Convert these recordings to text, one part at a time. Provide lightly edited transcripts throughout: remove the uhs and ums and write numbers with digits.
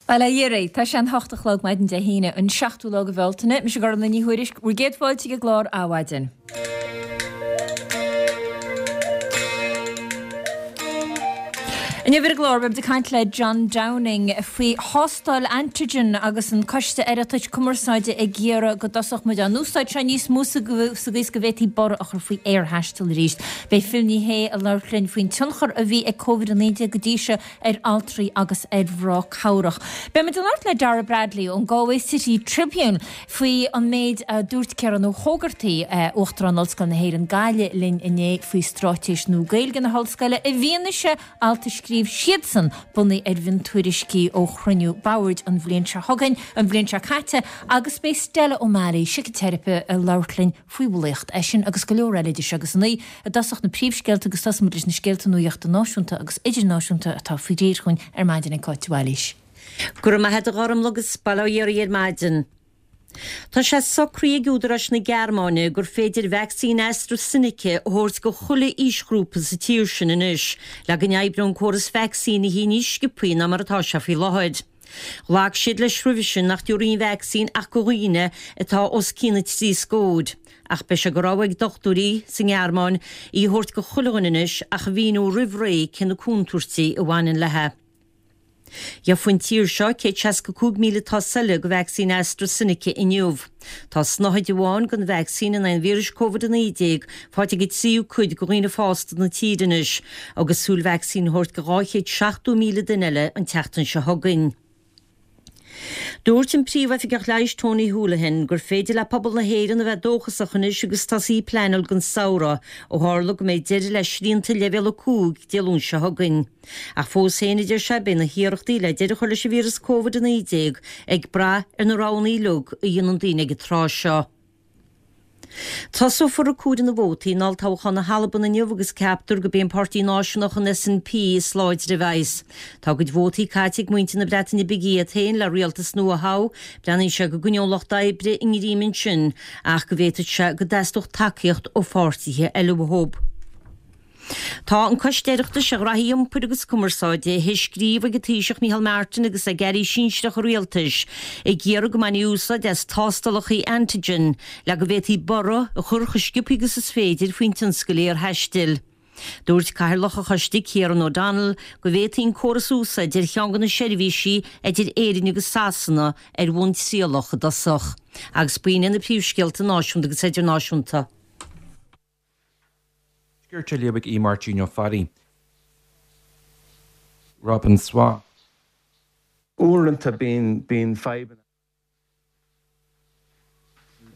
Bail ó Dhia oraibh, tá sé an 8 a chlog maidin Dé hAoine, an 7ú lá de Bhealtaine. Mise Gormfhlaith Ní Thuairisg, bhur gcéad fáilte ag an gclár Adhmhaidin. Inniu ar an gclár beimid ag caint le John Downing faoi thástáil antigen agus an Coiste Oireachtais Cumarsáide ag iarraidh go dtosódh muid á n-úsáid seo níos mó sa gcaoi is go bhféadfaí borradh a chur faoi aerthaisteal arís. Beidh Phil Ní Sheaghdha ag labhairt linn faoin tionchar a bhí ag Covid-19 go dtí seo ar altraí agus ar mhná cabhrach. Beidh muid ag labhairt le Dara Bradley ón Galway City Tribune faoi an méid a dúirt Ciarán Ó hÓgartaigh, Uachtarán Ollscoil na hÉireann Gaillimh linn inné faoi straitéis nua Gaeilge na hOllscoile i bhfianaise alt a scríobh siadsan bunaithe ar mhiontuairiscí ó chruinniú boird an bhliain seo chugainn, an bhliain seo caite agus beidh Stella O'Malley, siciteiripe, ag labhairt linn faoi bhulaíocht. É sin agus go leor eile idir seo agus a 9. I dtosach na príomhscéalta agus tosóidh muid leis na scéalta nuachta náisiúnta agus idirnáisiúnta atá faoi réir chugainn ar maidin ag Cáit de Bhailís. Go raibh maith a't a Ghormfhlaith agus bail ó Dhia oraibh ar maidin. Tá sé socraithe ag údaráis na Gearmáine gur féidir vacsaín AstraZeneca a thabhairt go chuile aoisghrúpa sa tír sin anois le go n-oibreoidh an córas vacsaínithe níos sciobthaí ná mar atá sé faoi láthair. Ghlac siad leis roimhe sin nach dtabharfaí an vacsaín ach go dhaoine atá os cionn na trí scóir, ach beidh sé de rogha ag dochtúirí sa nGearmáin í a thabhairt go chuile dhuine anois ach a mhíniú roimh ré cé na contúirtí a bhaineann léi. Gheofaidh an tír seo 165,000 dos eile de vacsaín AstraZeneca inniu. Tá snáthaid amháin den vacsaín in aghaidh an víris Covid-19 faighte ag an tríú cuid de dhaoine fásta na tíre anois agus súil vacsaín a thabhairt go 270,000 duine eile an tseachtain seo chugainn. Dúirt an Príomhoifigeach Leighis Tony Holohan gur féidir le pobal na hÉireann a bheith dóchasach anois agus tosaí ag pleanáil don samhradh ó tharla go mbeidh deireadh le srianta Leibhéal 5 Dé Luain seo chugainn. Ach fós féin, a deir sé, beidh na hiarrachtaí le deireadh a chur leis an víreas Covid-19 ag brath ar na roghanna uilig a dhéanann daoine ag an tráth seo. Tosófar ag comhaireamh na vótaí in olltoghchán na hAlban inniu agus ceaptar gurb é an páirtí náisiúnach an SNP is láidre a bheas. Tá a gcuid vótaí caite ag muintir na Breataine Bige iad féin le rialtas nua a thoghadh, breathnaíonn sé go gcoinneoidh an Lucht Oibre a ngreim ansin ach go bhféadfadh sé go dteastódh tacaíocht ó pháirtithe eile uathu. Tá an Coiste Oireachtais ar Ghraithí Iompair agus Cumarsáide théis scríobh ag an Taoiseach Micheál Martin agus ag airí sinsearacha an Rialtais ag iarraidh go mbainfí úsáid as tástálacha antigen le go bhféadfaí borradh a chur chomh sciobtha agus is féidir faoin tionscal aerthaistil. Dúirt Cathaoirleach an choiste Kieran O'Donnell go bhféadfaí an córas a úsáid ar cheann de na seirbhísí idir Éirinn agus Sasana ar bhonn trialach i dtosach. Agus b'in iad na príomhscéalta náisiúnta agus idirnáisiúnta. Tuaisceart á léamh ag Aodh Máirtín Ó Fearraigh. Robin Swa. Uaireanta bíonn, bíonn fadhbanna.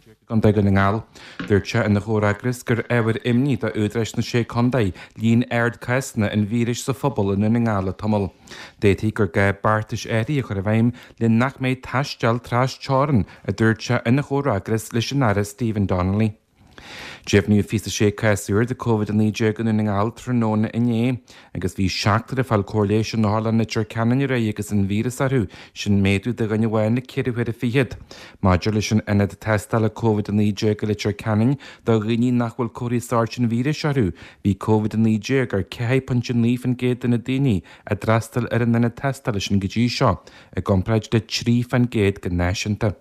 i gContae Dhún na nGall. Dúirt sé ina chomhfhreagras gur ábhar imní do údaráis na Sé Contae líon ard cásanna an víris sa phobal i nDún na nGall le tamall. D'fhéadfaí gur gá beartais áirithe a chur i bhfeidhm le nach mbeidh taisteal tras-teorann, a dúirt sé ina chomhfhreagras leis an Aire Stephen Donnelly. Deimhníodh 26 cás úr de Covid-19 i nDún na nGall tráthnóna inné agus bhí seachtar ag fáil cóir leighis in Otharlann Leitir Ceanainn aréir agus an víreas orthu, sin méadú de dhuine amháin le ceithre huaire fichead. Maidir leis an ionad tástála Covid-19 i Leitir Ceanainn do dhaoine nach bhfuil comharthaí sóirt an víris orthu, bhí Covid-19 ar 4.9% de na daoine a d'fhreastail ar an ionad tástála sin go dtí seo, i gcomparáid le 3% go náisiúnta.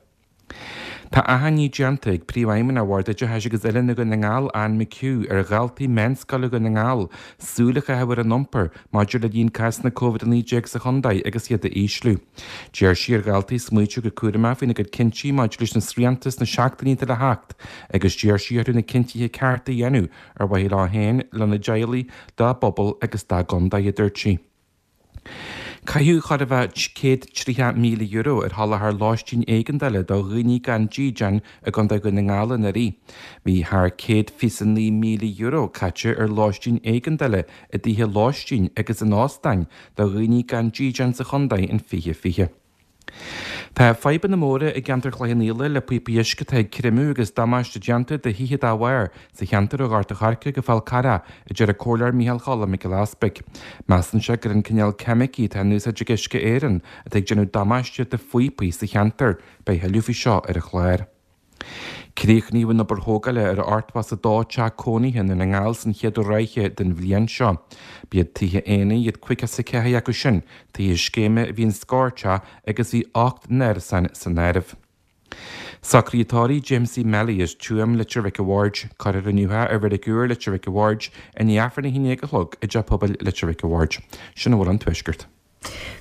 Tá achainí déanta ag Príomhfheidhmeannach Bhord Oideachais agus Oiliúna Dhún na nGall, Anne McHugh, ar dhaltaí meánscoile Dhún na nGall súil a chaitheamh ar a n-iompar maidir le líon cásanna Covid-19 sa chontae agus iad a ísliú. D'iarr sí ar dhaltaí smaoitiú go cúramach faoina gcuid cinntí maidir leis na srianta sna seachtainí atá le theacht agus d'iarr sí orthu na cinntithe cearta a dhéanamh ar mhaithe leo féin, lena dteaghlaigh, dá bpobal agus dá gcontae, a dúirt sí. Caitheadh chóir a bheith €130,000 ar sholáthar lóistín éigeandála do dhaoine gan dídean i gContae Dhún na nGall anuraidh. Bhí thar €129,000 caite ar lóistín éigeandála i dtithe lóistín agus in óstáin do dhaoine gan dídean sa chontae in 2020. Tá fadhbanna móra i gceantar Chloich Cheann Fhaola le píopaí uisce atá ag creimeadh agus damáiste déanta do thithe dá bharr sa cheantar ó Ghort a' Choirce go Fál Carrach, a deir an Comhairleoir Micheál Choilm Mac Giolla Easpaig. Measann sé gur an cineál ceimicí atá in úsáid ag Uisce Éireann atá ag déanamh damáiste do phíopaí sa cheantar. Beidh tuilleadh faoi seo ar an chlár. Críochnaíodh an obair thógála ar 82 teach cónaithe i nDún na nGall san chéad ráithe den bhliain seo. B'iad tithe aonair iad 54 acu sin, tithe scéime a bhí in scór teach agus bhí 8 n-árasán san áireamh. Socruithe tórraimh Jamesie Melly as Tuaim, Leitir Mhic a' Bhaird. Cuirfear inniu é i Reilig Úr, Leitir Mhic a' Bhaird, i ndiaidh Aifreann 11 a chlog i dTeach Pobail Leitir Mhic a' Bhaird. Sin a bhfuil ón Tuaisceart.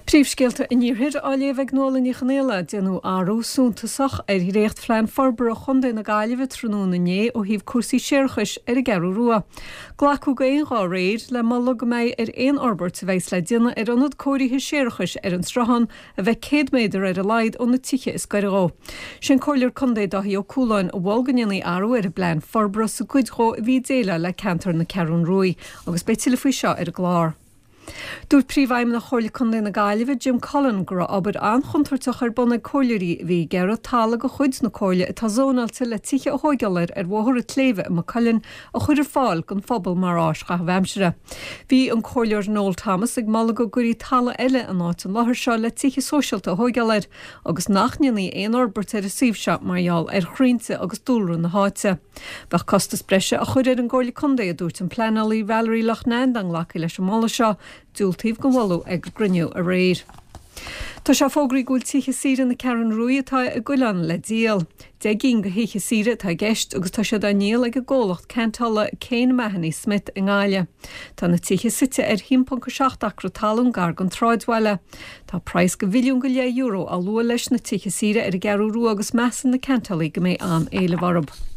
Príomhscéalta an Iarthair á léamh ag Nuala Ní Chonaola, Déanadh athrú suntasach ar dhréachtphlean forbartha Chontae na Gaillimhe tráthnóna inné ó thaobh cúrsaí séarachais ar an gCeathrú Rua. Glacadh go aon ghuth aréir le moladh go mbeidh ar aon fhorbairt a bheas le déanamh ar ionad cóirithe séarachais ar an Sruthán a bheith 100 méadar ar a laghad ó na tithe is gaire dhó. Sé an Comhairleoir Contae Dáithí Ó Cualáin a mhol go ndéanfaí athrú ar an bplean forbartha sa gcuid dhó a bhí ag déileáil le ceantar na Ceathrún Ruaidh agus beidh tuilleadh faoi seo ar an gclár. Dúirt Príomhfheidhmeannach Chomhairle Contae na Gaillimhe, Jim Cullen, go raibh obair an-chontúirteach ar bun ag comhairleoirí a bhí ag iarraidh talamh de chuid na Comhairle atá zónáilte le tithe a thóigeáil air ar Bhóthar an tSléibhe i Maigh Cuilinn a chur ar fáil don phobal mar áis chaitheamh aimsire. Bhí an Comhairleoir Noel Thomas ag moladh go gcuirí talamh eile in áit an láthair seo le tithe sóisialta a thóigeáil air agus nach ndéanfaí aon fhorbairt ar an suíomh seo mar gheall ar chrainnte agus dúlra na háite. Bheadh costas breise á chur ar an gComhairle Contae, a dúirt an pleanálaí Valerie Loughnane dá nglacfaí leis an moladh seo. Diúltaíodh don mholadh ag an gcruinniú aréir. Tá sé fógraithe go bhfuil tithe saoire na Ceathrún Ruaidh atá i gCoileán le díol. 10 gcinn de thithe saoire atá i gceist agus tá siad á ndíol ag an gcomhlacht ceantála Kane Mahony Smith i nGaillimh. Tá na tithe suite ar 1.7 acra talún gar don tsráidbhaile. Tá praghas de mhilliún go leith euro á lua leis na tithe saoire ar an gCeathrú Rua agus measann na ceantálaí go mbeidh an-éileamh orthu.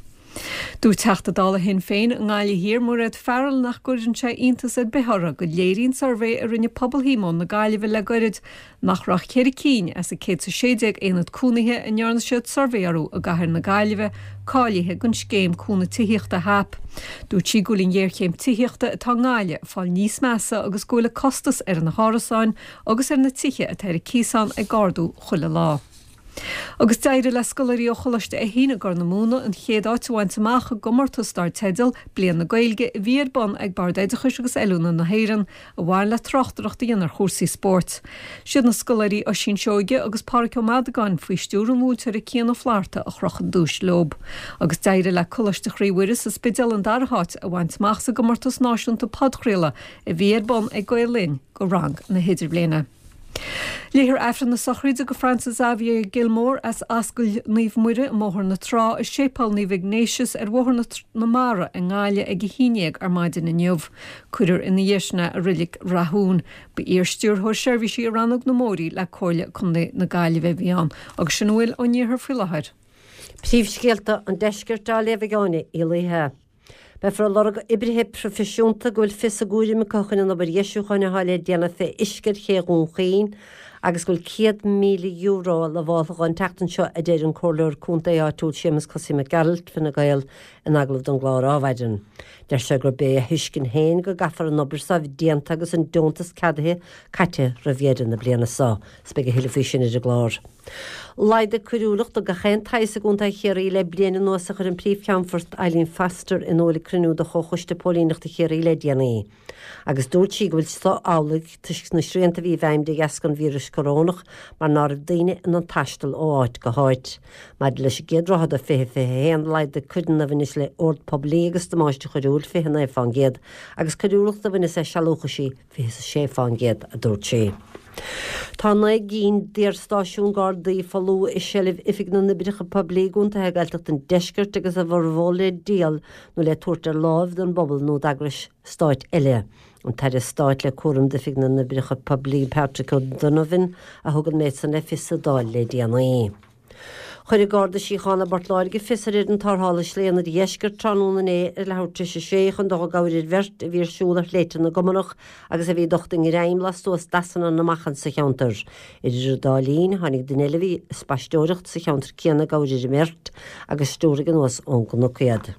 Dúirt Teachta Dála Shinn Féin i nGaillimh Thiar, Mairéad Farrell nach gcuireann sé iontas ar bith uirthi go léiríonn suirbhé a rinne Pobal Shíomóin na Gaillimhe le goirid nach raibh ach ceithre cinn as an 116 aonad cónaithe a ndearna siad suirbhé orthu i gcathair na Gaillimhe cáilithe don scéim cúnamh tithíochta HAP. Dúirt sí go bhfuil an ghéarchéim tithíochta atá i nGaillimh ag fáil níos measa agus go bhfuil an costas ar na hárasáin agus ar na tithe atá ar cíos ann ag ardú chuile lá. Agus d'éirigh le scoláirí ó Choláiste Fheichín i gCorr na Móna an chéad áit a bhaint amach i gcomórtas dar teideal Bliain na Gaeilge a bhí ar bun ag Bord Oideachais agus Oiliúna na hÉireann a bhain le tráchtaireacht a dhéanamh ar chúrsaí spóirt. Siad na scoláirí Oisín Seoige agus Páraic Ó Madagáin faoi stiúr an mhúinteora Cian Ó Flatharta a chroch an duais leo. Agus d'éirigh le Coláiste Chroí Mhuire sa Spidéal an dara háit a bhaint amach sa gcomórtas náisiúnta podchraoladh a bhí ar bun ag Gael Linn do rang na hIdirbhliana. Léifear Aifreann na sochraide do Francis Xavier Gilmore as Ascaill Naomh Muire i mBóthar na Trá i Séipéal Naomh Ignatius ar Bhóthar na Mara i nGaillimh ag 11 ar maidin inniu. Cuirfear ina dhiaidh sin é i Reilig Rathún. Ba iar-Stiúrthóir Seirbhísí i Rannóg na mBóithrí le Comhairle Contae na Gaillimhe a bhí ann. Agus sin a bhfuil ón iarthar faoi láthair. Príomhscéalta an Deiscirt á léamh ag Áine Uí Laoithe. Beifear ag lorg oibrithe proifisiúnta go bhfuil fios a gcúraim acu chun an obair dheisiúcháin atá le déanamh fé uisce ar ché Dhún Chaoin agus go bhfuil €100,000 lamháltha dhó an tseachtain seo, a deir an Comhairleoir Contae áitiúil Séamus Cosaí Mac Gearailt, Fine Gael, in agallamh don gclár Adhmhaidin. Deir sé gurb é a thuiscint féin go gcaithfear an obair so a bheith déanta agus an deontas ceadaithe caite roimh dheireadh na bliana so. 'S beidh a thuilleadh faoi sin ar an gclár. Laghdaigh coiriúlacht de gach aon tsaghas i gContae Chiarraí le bliain anuas a chuir an Príomh-Cheannfort Eileen Foster in iúl ag cruinniú de Chomhchoiste Póilíneachta Chiarraí le déanaí. Agus dúirt sí go bhfuil so amhlaidh toisc na srianta a bhí i bhfeidhm de dheasca an víris corónach mar ná raibh daoine in ann taisteal ó áit go háit. Maidir leis an gcéad ráithe de 2021, laghdaigh coireanna a bhaineas le ord poiblí agus damáiste choiriúil 29% agus coiriúlacht a bhaineas le sealúchaisí 26%, a dúirt sí. Tá 9 gcinn d'iarstáisiúin Gardaí folamh i seilbh Oifig na nOibreacha Poiblí i gcontaetha Gaeltachta an Deiscirt agus a bhformhór le díol nó le tabhairt ar láimh don bpobal nó d'eagrais stáit eile. An tAire Stáit le cúram d'Oifig na nOibreacha Poiblí Patrick O'Donovan a thug an méid san le fios sa Dáil le déanaí. Chuir an Garda Síochána i bPort Láirge fios ar fhoireann tarrthála Shlí an Oirdheiscirt tráthnóna inné ar leathuair tar éis a sé chun dul i gcabhair ar bheirt a bhí ar siúl ar Shléibhte na gCumanach agus a bhí docht i ngreim lastuas d'easanna na machan sa cheantar. Idir an dá linn, tháinig duine eile a bhí ag spaisteoireacht sa cheantar céanna i gcabhair ar an mbeirt agus stiúraigh anuas ón gcnoc iad.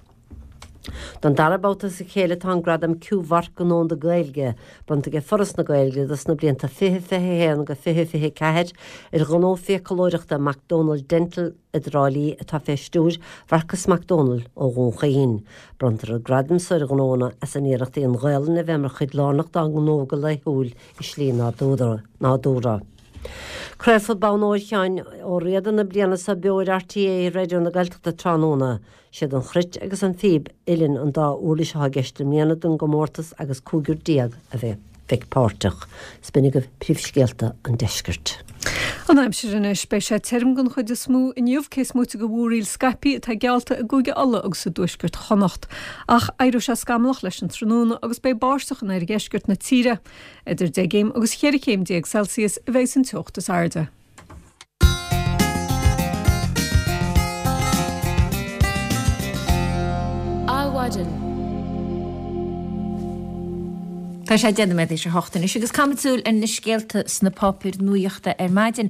Don dara babhta as a chéile tá an gradam Q-Mharc don Domhanda Gaeilge bronnta ag Foras na Gaeilge dos na blianta 2021-2024 ar ghnó fiaclóireachta Mac Dónaill Dental i dTrá Lí atá fé stiúir Mharcas Mac Dónaill ó Dhún Chaoin. Bronntar an gradam so ar ghnóanna as a n-iarrachtaí an Ghaelainn a bheith mar chuid lárnach dá ngnó go laethúil i slí nádúrtha. Craolfar Bonn Óir Sheáin Ó Riada na bliana seo beo ar RTÉ Raidió na Gaeltachta tráthnóna. Siad an chruit agus an phíb uilleann an dá uirlis atá i gceist i mbliana don gcomórtas agus 15 a bheidh páirteach. 'S b'in agaibh príomhscéalta an deiscirt. An aimsir anois. Beidh sé tirim den chuid is mó inniu, cé is móite de mhúraíl scaipthe atá geallta i gCúige Uladh agus i dtuaisceart Chonnacht. Ach éireoidh sé scamallach leis an tráthnóna agus beidh báisteach in oirdheisceart na tíre. Idir 10 gcéim agus 14 chéim Celsius a bheidh san teocht is airde. Adhmhaidin. Tá sé 10 nóiméad théis a hocht anois agus caithfimid súil ar na scéalta sna páipéir nuachta ar maidin.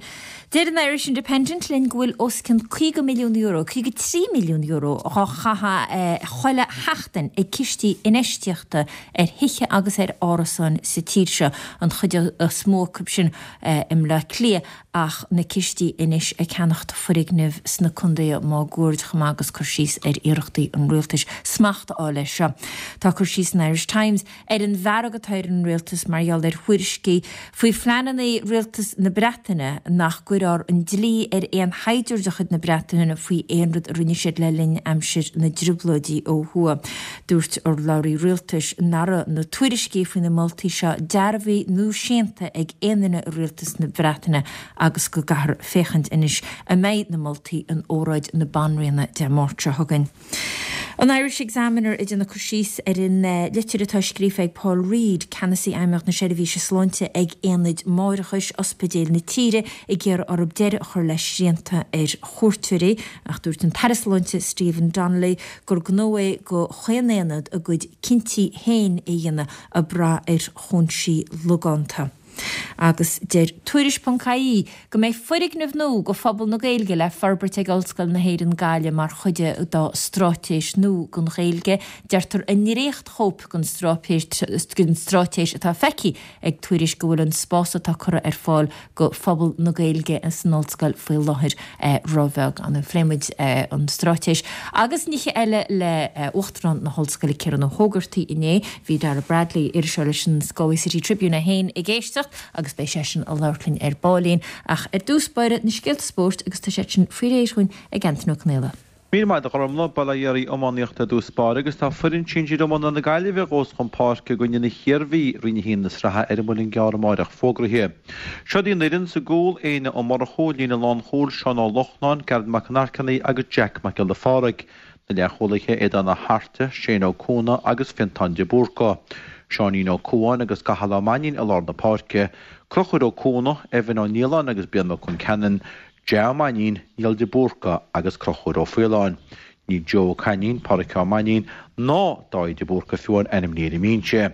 Deir an Irish Independent linn go bhfuil os cionn €50 milliún, €53 milliún, dhá chaitheamh chuile sheachtain ag cistí infheistíochta ar thithe agus ar árasáin sa tír seo, an chuid is mó acu sin i mBleá Cliath ach na cistí anois ag ceannacht foirgneamh sna contaetha máguaird chomh maith agus cur síos ar iarrachtaí an rialtais smacht a fháil air seo. Tá cur síos san Irish Times ar an bhfearg atá ar an rialtas mar gheall ar thuairiscí faoi phleananna rialtas na Breataine nach gcuirfear an dlí ar aon shaighdiúir de chuid na Breataine faoi aon rud a rinne siad le linn aimsir na dtrioblóidí ó thuaidh. Dúirt urlabhraí rialtais nach raibh na tuairiscí faoi na moltaí seo dearbhaithe nó séanta ag aon duine i rialtas na Breataine agus go gcaithfear féachaint anois an mbeidh na moltaí in óráid na Banríona Dé Máirt seo chugainn. An Irish Examiner ag déanamh cur síos ar an litir atá scríofa ag Paul Reid, Ceannasaí Fheidhmeannacht na Seirbhíse Sláinte ag Aonaid Máithreachais Ospidéil na tíre ag iarraidh orthu deireadh a chur le srianta ar chuairteoirí. Ach dúirt an tAire Sláinte Stephen Donnelly gur gnó é go chaon aonad a gcuid cinntí féin a dhéanamh ag brath ar chúinsí logánta. Agus deir Tuairisc ponc ie go mbeidh foirgneamh nua go phobal na Gaeilge le forbairt ag Ollscoil na hÉireann Gaillimh mar chuid dá straitéis nua don Ghaeilge. Deirtear i ndréachtchóip den straitéis atá feicthe ag Tuairisc go bhfuil an spás atá curtha ar fáil go phobal na Gaeilge san Ollscoil faoi láthair róbheag. Phléigh muid an straitéis agus nithe eile le Uachtarán na hOllscoile Ciarán Ó hÓgartaigh inné. Bhí Dara Bradley, iriseoir leis an Galway City Tribune é féin ag éisteacht agus beidh seisean ag labhairt linn ar baillín. Ach ar dtús báire na scéalta spóirt agus tá siad sin faoi réir dhúinn ag Antaine Ó Conaola. Míle maith agat a Ghormlaith, bail ó Dhia oraibh iománaíocht ar dtús báire agus tá foireann sinsir iomána na Gaillimhe a ghabhfas chun páirce i gcoinne na hIarmhí i Roinn 1 na sraithe ar an Muileann gCearr amáireach fógraithe. Seod í an fhoireann, sa gcúl, Éanna Ó Murchú, líne lánchúil, Seán Ó Lochnáin, Gearóid Mac an Airceannaigh agus Jack Mac Giolla Phádraig. Na leathchúlaithe, Aodán Ó hAirte, Shane Ó Cuana agus Fiontán de Búrca. Seáinín Ó Cuáin agus Cathal Ó Mainnín i lár na páirce, Conchúr Ó Cuana, Evan Ó Nialláin agus Brian Mac Conceanainn, Joe Ó Mainnín, Niall de Búrca agus Conchúr Ó Faoláin. Níl Joe Ó Cainín, Páraic Ó Mainnín ná Dáithí de Búrca fiú amháin ainmnithe ar an mbinse.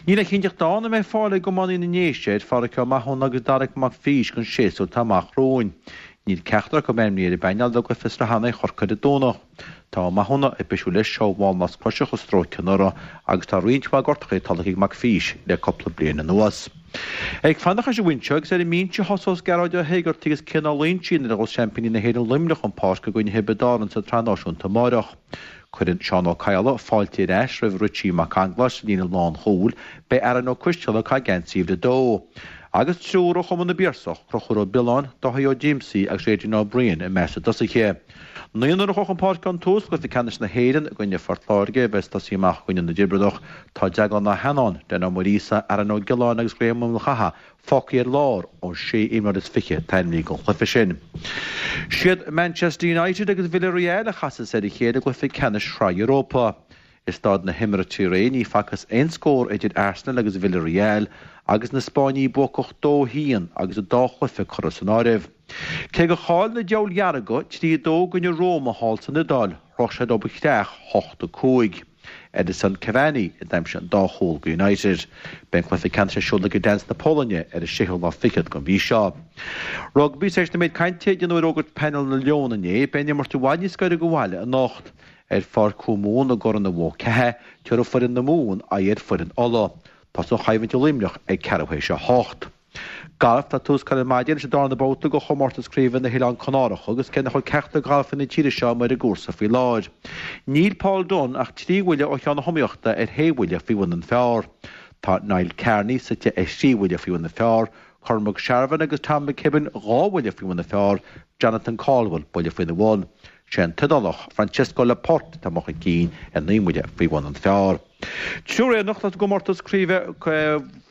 Níl a chinnteacht ann an mbeidh fáil ag iománaí na nDéise ar Pháraic Ó Mathúna agus Darach Mac Fís don séasúr atá amach romhainn. Níl ceachtar acu ainmnithe ar an bpainéal do gcluiche sraithe in aghaidh Chorcaí ar an Domhnach. Tá Ó Mathúna ag bisiú leis ó mhálnasc coise a stróic anuraidh agus tá roinnt mhaith gortuithe tolgtha ag Mac Fís le cúpla bliain anuas. Ag fanacht leis an bhfoinse agus ar an mbinse a thosós Gearóid Ó hÉigeartaigh agus Cian Ó Loingsigh nuair a ghabhfas seaimpíní na hÉireann Luimneach chun páirce i gcoinne Thiobraid Árann sa tSraith Náisiúnta amáireach. Cuireann Seán Ó Cadhla fáilte ar ais roimh Richie Mac Conghlais sa líne lánchúil, beidh Aaron Ó Coisdealbha ag caitheamh geansaí uimhir a dó. Agus triúr ó Chumann na bPiarsach, Conchúr Ó Biolláin, Dáithí Ó Díomsaí agus Adrian Ó Briain i measc na dtosaithe. Naonúr a chuaigh chun páirce ón tús i gcluiche ceannais na hÉireann i gcoinne Phort Láirge a bheas ag tosaí amach i gcoinne na dTiobradach. Tá Deaglán Ó hEanáin, Dan Ó Muiríosa, Aaron Ó Giolláin agus Graham Ó Maolchatha fágtha ar lár ón sé imreoir is fiche atá ainmnithe don chluiche sin. Siad Manchester United agus Villarreal a chasas ar a chéile i gcluiche ceannais Shraith Europa. I Staid na hImeartha aréir ní facthas aon scór idir Arsenal agus Villarreal agus na Spáinnigh buacach 2-1 agus an dá chluiche curtha san áireamh. Cé gur chaill na Diabhail Dhearga 3-2 i gcoinne Roma thall san Iodáil, shroich siad Oba Chreach 8-5. Edinson Cavani a d'aimsigh an dá chúl do United. Beidh an cluiche ceannais ar siúl i Gdansk na Polainne ar an séú lá fichead den mhí seo. Rugbaí, Tar éis an méid cainte a déanadh ar fhógairt painéal na Leon inné, beidh an imirt i bhfad níos gaire do bhaile anocht. Ar Pháirc Chú Mumhan i gCora na Bó Ceatha, tabharfaidh foireann na Mumhan aghaidh ar foireann Uladh. Tosóidh an choimhlint i Luimneach ag ceathrú théis a hocht. Galf, Tá tús curtha ar maidin leis an darna babhta de chomórtas craoibhe na hOileán Canárach agus cé nach bhfuil ceachtar de ghalfaithe na tíre seo amuigh ar an gcúrsa faoi láthair, níl Paul Dunne ach trí bhuille ó cheann na hiomaíochta ar shé bhuille faoi bhun an phar. Tá Niall Kearney suite ar thrí bhuille faoi bhun an phar. Cormac Sharvin agus Tom McKibbin 2 bhuille faoi bhun an phar, Jonathan Caldwell buille faoina bhun. Sé an tIodálach Francesco Laporte atá amuigh chun cinn ar 9 mbuille faoi bhun an phar. Triúr Éireannach i gcomórtas craoibhe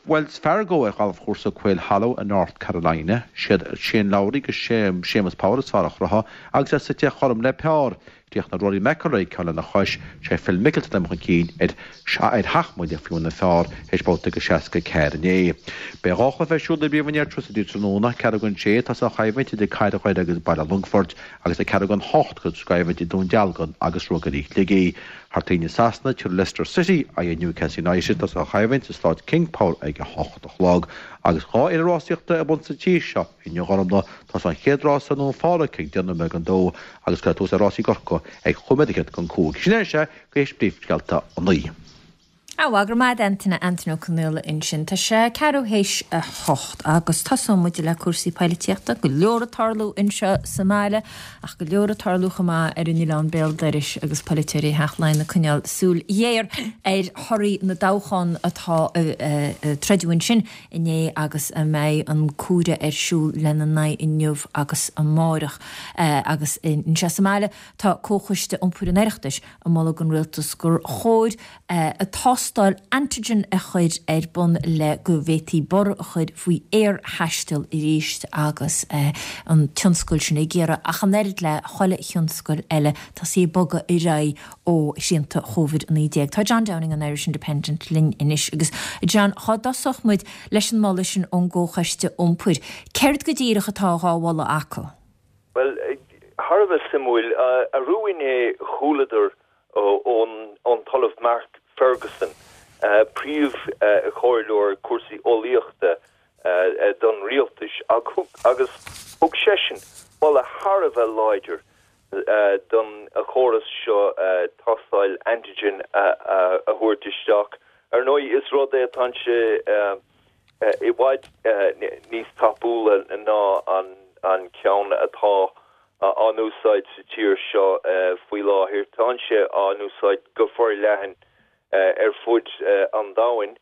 Wells Fargo ar ghalfchúrsa Quail Hollow i North Carolina. Siad Shane Lowry agus Séamus Power is fearr a chruthaigh agus iad suite chothrom le par. Chríochnaigh Rory McIlroy ceann lena chois, sé Phil Mickelson atá chun cinn ar sheacht mbuille faoi bhun an phar théis babhta de 64 inné. Beidh 2 chluiche ar siúl i bPríomhroinn Airtricity tráthnóna, ceathrú don sé tosóidh an choimhlint idir Cathair Dhoire agus Baile Longfoirt agus ag ceathrú don hocht tosóidh an choimhlint idir Dún Dealgan agus Ruagairí Shligigh. Thar toinn i Sasana, tabharfaidh Leicester City aghaidh ar Newcastle United, tosóidh an choimhlint sa Staid King Power ag a hocht a chlog. Agus 2 fhéile rásaíochta ar bun sa tír seo inniu a Ghormfhlaith, tosóidh an chéad rás i nDún Phádraig ag 10 nóiméad don dó agus cuirfear tús le rásaí i gCorcaigh ag chúig nóiméad fhichead don cúig. Sin é sé go théis príomhscéalta a naoi. Á, go raibh maith agat Antaine, Antaine Ó Conaola ansin. Tá sé ceathrú théis a hocht agus tosóidh muid le cúrsaí poilitíochta. Go leor ag tarlú anseo sa mbaile ach go leor ag tarlú chomh maith ar an oileán béal dorais agus polaiteoirí Theach Laighean ag coinneáil súil ghéar ar thorthaí na dtoghchán atá a troideadh ansin inné agus a mbeidh an comhaireamh ar siúl lena n-aghaidh inniu agus amáireach. Agus anseo sa mbaile tá Comhchoiste Iompair an Oireachtais ag moladh don Rialtas gur chóir tástáil antigen a chur ar bun le go bhféadfaí borradh a chur faoi aerthaisteal arís agus an tionscal sin ag iarraidh, ach an oiread le chuile thionscal eile, tosaí ag bogadh ar aghaidh ó shrianta Covid-19. Tá John Downing an Irish Independent linn anois agus, John, dhá dtosódh muid leis an moladh sin ón gComhchoiste Iompair, céard go díreach atá dhá mholadh acu? Bhuel, thar a bheith suimiúil. Arú inné chualadar ón tOllamh Mark Ferguson, príomh-chomhairleoir cúrsaí eolaíochta don rialtas, agus thug seisean moladh thar a bheith láidir don chóras seo tástáil antigen a thabhairt isteach. Ar ndóigh, is rud é atá sé i bhfad níos tapúla ná an ceann atá á n-úsáid sa tír seo faoi láthair. Tá sé á n-úsáid go forleathan ar fud an domhain.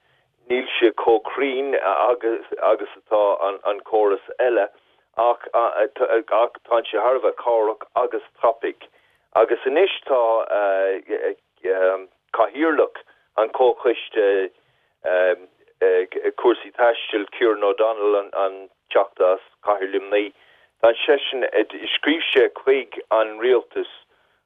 Níl sé chomh cruinn agus atá an córas eile ach tá sé thar a bheith cabhrach agus tapaidh. Agus anois tá Cathaoirleach an Chomhchoiste Cúrsaí Taistil, Kieran O'Donnell, an Teachta as Cathair Luimnigh, tá seisean, scríobh sé chuig an Rialtas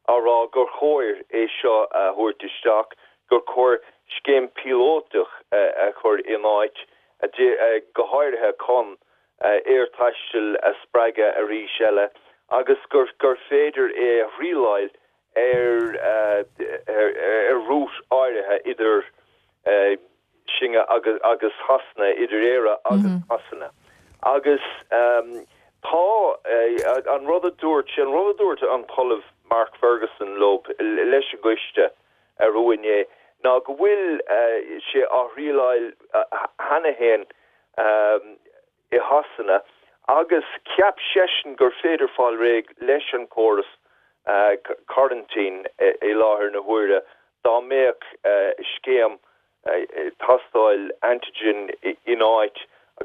á rá gur chóir é seo a thabhairt isteach, gur chóir scéim píolótach a chur in áit, go háirithe chun aerthaisteal a spreagadh arís eile agus gur féidir é a thrialáil ar ar route áirithe idir sinne agus agus Shasana, idir Éire agus Shasana. Agus tá an rud a dúirt sé, an rud a dúirt an tOllamh Mark Ferguson leo, leis an gcoiste arú inné, ná go bhfuil sé á thrialáil cheana féin i Shasana agus cheap seisean gur féidir fáil réidh leis an chóras coraintín i láthair na huaire dá mbeadh scéim tástáil antigen in áit.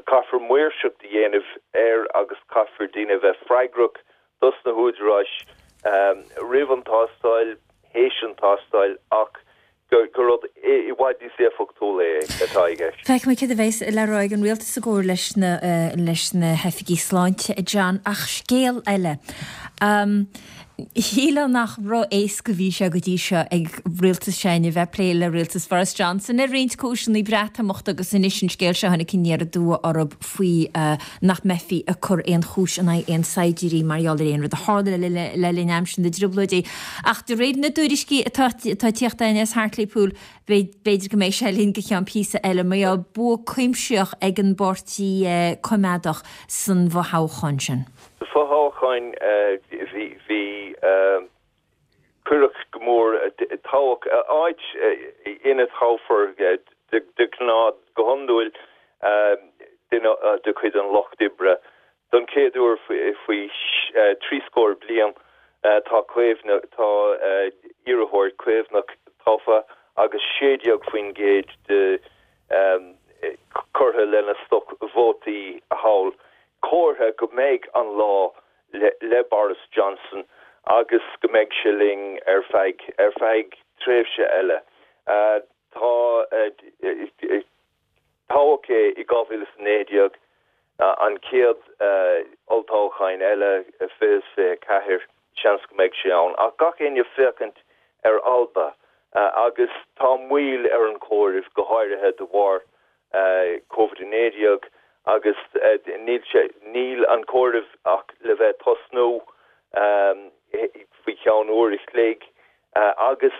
Caithfear maoirseacht a dhéanamh air agus caithfear daoine a bheith freagrach dos na húdaráis roimh an tástáil, théis an tástáil ach gur rud i bhfad níos éifeachtúla é atá i gceist. Feicfidh muid céard a bheas le rá ag an rialtas i gcomhar leis na leis na hoifigigh sláinte, a John. Ach scéal eile. Shílfeá nach ró-éasca a bhí sé go dtí seo ag rialtas s'againne a bheith ag plé le rialtas Boris Johnson ar roinnt cúiseanna, Breatimeacht agus anois an scéal seo a tháinig aniar aduaidh orthu faoi nach mbeifí ag cur aon chúis in aghaidh aon saighdiúirí mar gheall ar aon rud a tharla le linn aimsir na dTrioblóidí. Ach de réir na dtuairiscí atá ag tíocht againn as Hartlepool, b'fhéidir go mbeidh sé linn go ceann píosa eile, mar gheall bua cuimsitheach ag an bPáirtí Coimeádach san bhfothoghchán sin. Sa bhfothoghchán bhí, bhí. Cuireadh go mór toghadh áit ina dtoghfar de ghnáth, go hiondúil, duine de chuid an Lucht Oibre. Don chéad uair faoi thrí scór bliain tá Caomhnach, tá iarrthóir Caomhnach tofa agus 16% de. curtha lena stoc vótaí thall. Comhartha go mbeidh an lá le Boris Johnson agus go mbeidh sé linn ar feadh ar feadh tréimhse eile. Tá toghadh é i 2019, an chéad olltoghchán eile i 2024, seans go mbeidh sé ann. Ach gach éinne ag féachaint ar Alba agus tá moill ar an chomhaireamh, go háirithe de bharr Covid-19 agus níl sé, níl an comhaireamh ach le bheith tosnú faoi cheann uair a chloig agus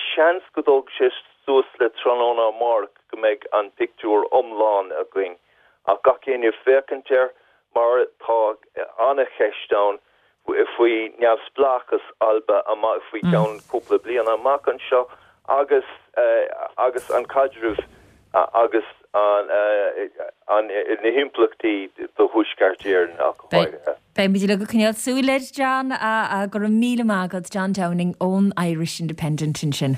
seans go dtógfaidh sé suas le tráthnóna amárach go mbeidh an pictiúr iomlán againn ach gach éinne ag féachaint air mar tá an-cheist ann faoi neamhspleáchas Alba faoi cheann cúpla bliana amach anseo agus agus an caidreamh agus an na himpleachtaí do Thuaisceart Éireann ach go háirithe. Beidh muid uilig ag coinneáil súil air, John. Go raibh míle maith agat, John Downing ón Irish Independent ansin.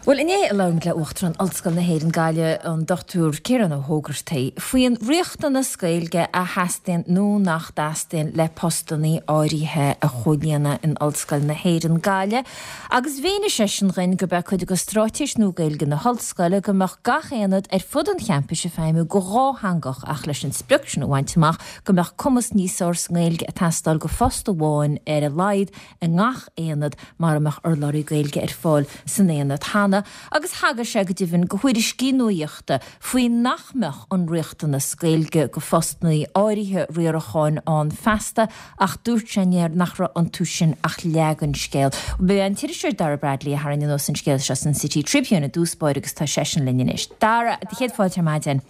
Bhuel, inné labhair muid le Uachtarán Ollscoil na hÉireann, Gaillimh, an Dr Ciarán Ó hÓgartaigh, faoin riachtanas Gaeilge a theastaíonn nó nach dteastaíonn le postannaí áirithe a chomhlíonadh in Ollscoil na hÉireann, Gaillimh, agus mhínigh seisean dhuinn gurb é cuid de straitéis nua Gaeilge na hOllscoile go mbeadh gach aonad ar fud an champais ag feidhmiú go dhátheangach ach leis an sprioc sin a bhaint amach go mbeadh cumas níos fearr sa nGaeilge ag teastáil go phost amháin ar a laghad i ngach aonad mara mbeadh urlabhraí Gaeilge ar fáil san aonad cheana agus thagair sé go deimhin go thuairiscí nuachta faoi nach mbeadh an riachtanas Gaeilge go phostannaí áirithe riaracháin ann feasta ach dúirt sé nach raibh iontu sin ach leath den scéal. B'é an t-iriseoir Dara Bradley a tharraing anuas an scéal seo san City Tribune i dtús báire agus tá seisean linn anois. Dara, céad fáilte ar maidin.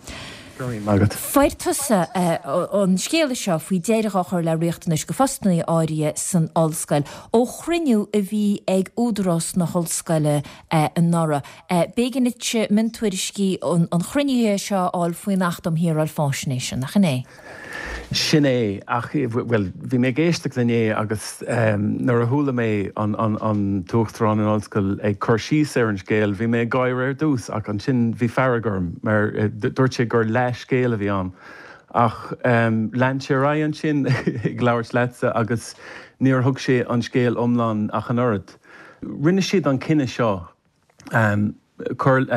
Go raibh maith agat. Fuair tusa an scéala seo faoi deireadh á chur le riachtanais go phostannaí áirithe san ollscoil ó chruinniú a bhí ag údarás na hollscoile anuraidh. B'éigean duit miontuairiscí an chruinnithe seo a fháil faoin Acht um Shaoráil Faisnéise, nach in é? Sin é, ach, bhuel, bhí mé ag éisteacht inné agus nuair a chuala mé an tUachtarán an ollscoil ag cur síos ar an scéal, bhí mé ag gáire ar dtús ach ansin bhí fearg orm mar dúirt sé gur leathscéal a bhí ann. Ach lean sé ar aghaidh ansin ag labhairt leatsa agus níor thug sé an scéal iomlán ach an oiread. Rinne siad an cinneadh seo cur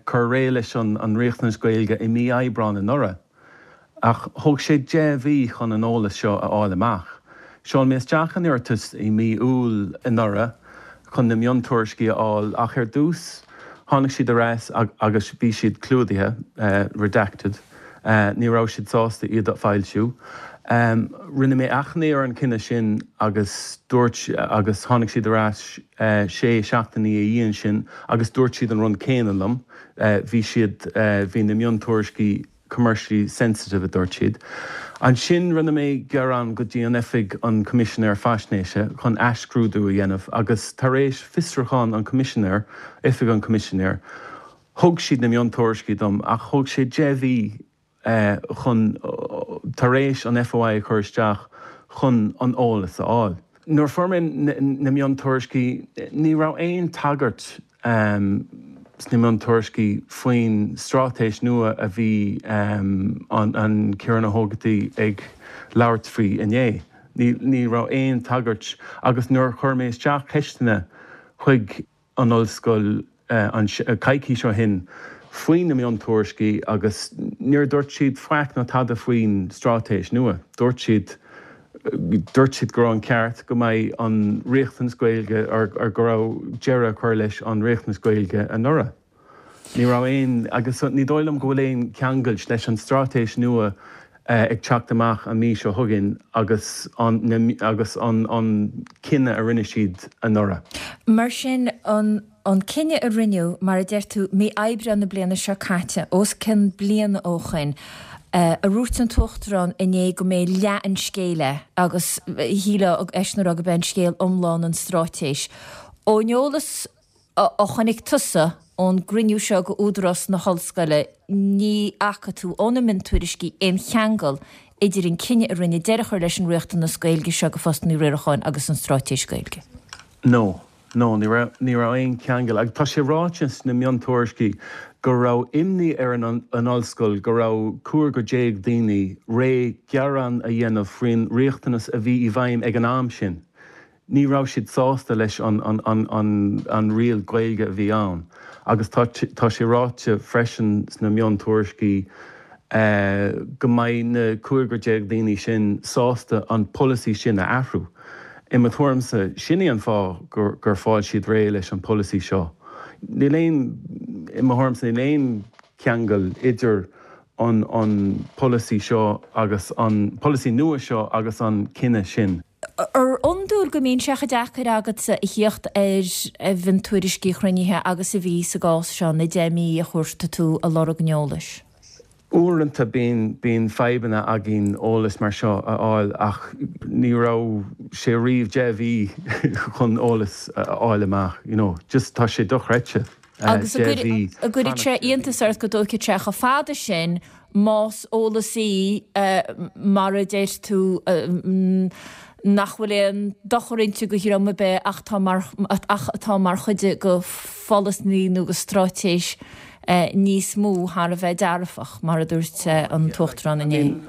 cur réidh leis an riachtanas Gaeilge i mí Aibreán anuraidh, ach thóg sé 10 mhí chun an eolas seo a fháil amach. Sheol mé isteach an iarratas i mí Iúil anuraidh chun na miontuairiscí a fháil ach ar dtús tháinig siad ar ais agus bhí siad clúdaithe, redacted, ní raibh siad sásta iad a foilsiú. Rinne mé achainí ar an cinneadh sin agus dúirt agus tháinig siad ar ais sé seachtainí ina dhiaidh sin agus dúirt siad an rud céanna liom, bhí siad, bhí na miontuairiscí commercially sensitive a dúirt siad. Ansin rinne mé gearán go dtí an Oifig an Choimisinéir Faisnéise chun athscrúdú a dhéanamh agus tar éis fiosrúchán an Choimisinéir, Oifig an Choimisinéir, thug siad na miontuairiscí dom ach thóg sé 10 mhí chun, tar éis an FOI a chur isteach, chun an eolas a fháil. Nuair a fuair mé na miontuairiscí, ní raibh aon tagairt sna miontuairiscí faoin straitéis nua a bhí an Ciarán Ó hÓgartaigh ag labhairt faoi inné. Ní raibh aon tagairt agus nuair a chuir mé isteach ceisteanna chuig an ollscoil an coicís ó shin faoi na miontuairiscí agus níor dúirt siad faic ná tada faoin straitéis nua. Dúirt siad dúirt siad go raibh an ceart go mbeidh an riachtanas Gaeilge or go raibh deireadh a chur leis an riachtanas Gaeilge anuraidh. Ní raibh aon agus ní dóigh liom go bhfuil aon cheangailt leis an straitéis nua ag teacht amach an mhí seo chugainn agus an agus an an cinneadh a rinne siad anuraidh. Mar sin, an an cinneadh a rinneadh, mar a deir tú, mí Aibreáin na bliana seo caite, os cionn bliana ó shoin, a dhúirt an tUachtarán inné go mb'é leath an scéil é agus shílfeá eisean a rá go b'é an scéal iomlán an straitéis. Ón eolas a chonaic tusa ón gcruinniú seo go Údarás na hOllscoile, ní fhaca tú ó na miontuairiscí aon cheangal idir an cinneadh a rinneadh deireadh a chur leis an riachtanas Gaeilge seo go phostanna riaracháin agus an Straitéis Gaeilge? No. No, ní raibh, ní raibh aon cheangal. Agus tá sé ráite sna miontuairiscí. go raibh imní ar an ollscoil go raibh cúigear déag daoine réidh gearán a dhéanamh faoin riachtanas a bhí i bhfeidhm ag an am sin. Ní raibh siad sásta leis an riail Gaeilge a bhí ann agus tá sé ráite freisin sna miontuairiscí go mbeidh na cúigear déag daoine sin sásta an polasaí sin a athrú. I mo thuairimse, sin é an fáth gur fáil siad réidh leis an polasaí seo. Níl aon, i mo thuairimse, níl aon cheangal idir an polasaí seo agus an polasaí nua seo agus an cinneadh sin. Ar iondúil go mbíonn sé chomh deacair agatsa a thíocht ar mhiontuairiscí chruinnithe agus a bhí sa gcás seo, na 10 mí a chuaigh tú ag lorg an eolais? Uaireanta bíonn, bíonn fadhbanna againn eolas mar seo a fháil ach ní raibh sé riamh 10 mhí chun eolas a fháil amach, you know, just tá sé dochreidte, Agus 10 mhí an gcuireann sé iontas ort go dtógfaidh sé chomh fada sin más eolas í mar a deir tú nach bhfuil aon dochar inti do dhream ar bith ach atá mar, ach atá mar chuid de pholasaí nó de straitéis níos mó thar a bheith dearfach, mar a dúirt an tUachtarán inné.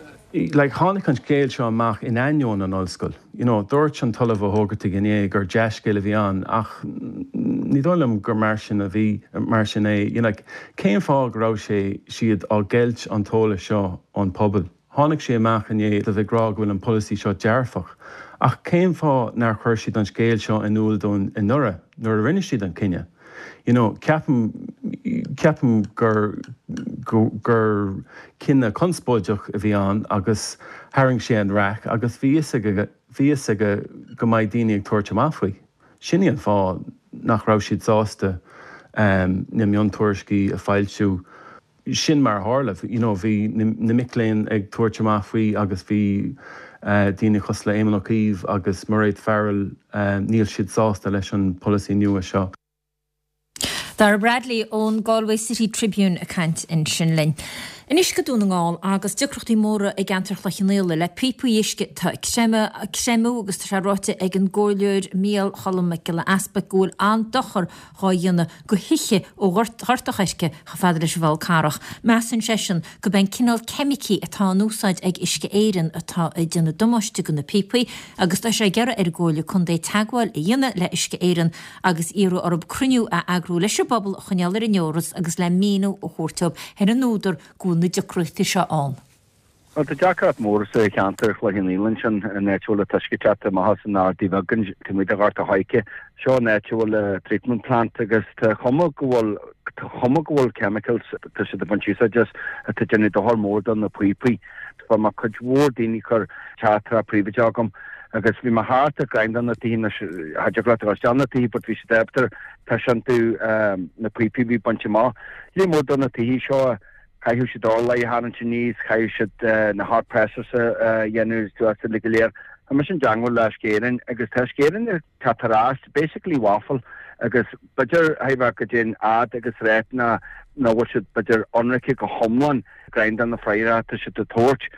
Like, tháinig an scéal seo amach in ainneoin an ollscoil. You know, dúirt an tOllamh Ó hÓgartaigh inné gur dea-scéal a bhí ann ach ní dóigh liom gur mar sin a bhí, mar sin é. You know, like, cén fáth go raibh sé, siad á gceilt an t-eolas seo ón pobal? Tháinig sé amach inné iad ag rá go bhfuil an polasaí seo dearfach, ach cén fáth nár chuir siad an scéal seo in iúl dúinn anuraidh nuair a rinne siad an cinneadh? You know, ceapaim, ceapaim gur, gur cinneadh conspóideach a bhí ann agus tharraing sé an raic agus bhí fhios aige, bhí fhios aige go mbeidh daoine ag tabhairt amach faoi. Sin í an fáth nach raibh siad sásta na miontuairiscí a foilsiú. Sin mar a tharla. You know, bhí na mic léinn ag tabhairt amach faoi agus bhí daoine cosúil le Éamon Ó Cuív agus Mairéad Farrell, níl siad sásta leis an polasaí nua seo. Dara Bradley ón Galway City Tribune ag caint ansin linn. Anois go Dún na nGall agus deacrachtaí móra i gceantar Chloich Cheann Fhaola le píopaí uisce atá ag creimeadh agus tá sé ráite ag an gComhairleoir Micheál Choilm Mac Giolla Easpaig go bhfuil an-dochar dhá dhéanamh go thithe ó Ghort a' Choirce chomh fada leis an bhFál Carrach. Measann seisean gurb é an cineál ceimicí atá in úsáid ag Uisce Éireann atá ag déanamh damáiste go na píopaí agus tá sé ag iarraidh ar an gComhairle Contae teagmháil a dhéanamh le Uisce Éireann agus iarraidh orthu cruinniú a eagrú leis an bpobal a choinneáil ar an eolas agus le míniú a thabhairt dóibh ar an údar go bhfuil na deacrachtaí seo ann. Bhuel, tá deacracht mór sa cheantar Chloich Cheann Fhaola ansin, an áit a bhfuil an t-uisce ag teacht amach as an Ardaidh Bheag taobh amuigh de Ghort a' Choirce. Seo an áit a bhfuil an treatment plant agus tá cuma go bhfuil, tá cuma go bhfuil chemicals, tá siad ag baint úsáid as, atá ag déanamh dochar mór do na píopaí. Fuair mé cuid mhór daoine ag cur teachtaireacht príobháideach agam agus bhí mé thart ag greim do na tithe anois, cha dtig leat a dhul isteach na tithe but bhí siad ábalta taispeáint domh na píopaí a bhí bainte amach. Lear mór do na tithe seo. Chaithfeadh siad urláir a tharraingt aníos, chaithfeadh siad na hot pressers a dhéanamh suas uilig go léir. Tá mise i dteangmháil le Uisce Éireann agus tá Uisce Éireann ag teacht ar ais, basically waffle agus b'fhéidir chaithfidh bheith goidé an fhad agus rét ná nach bhfuil siad b'fhéidir ionraice go hiomlán greim de na freagra atá siad ag tabhairt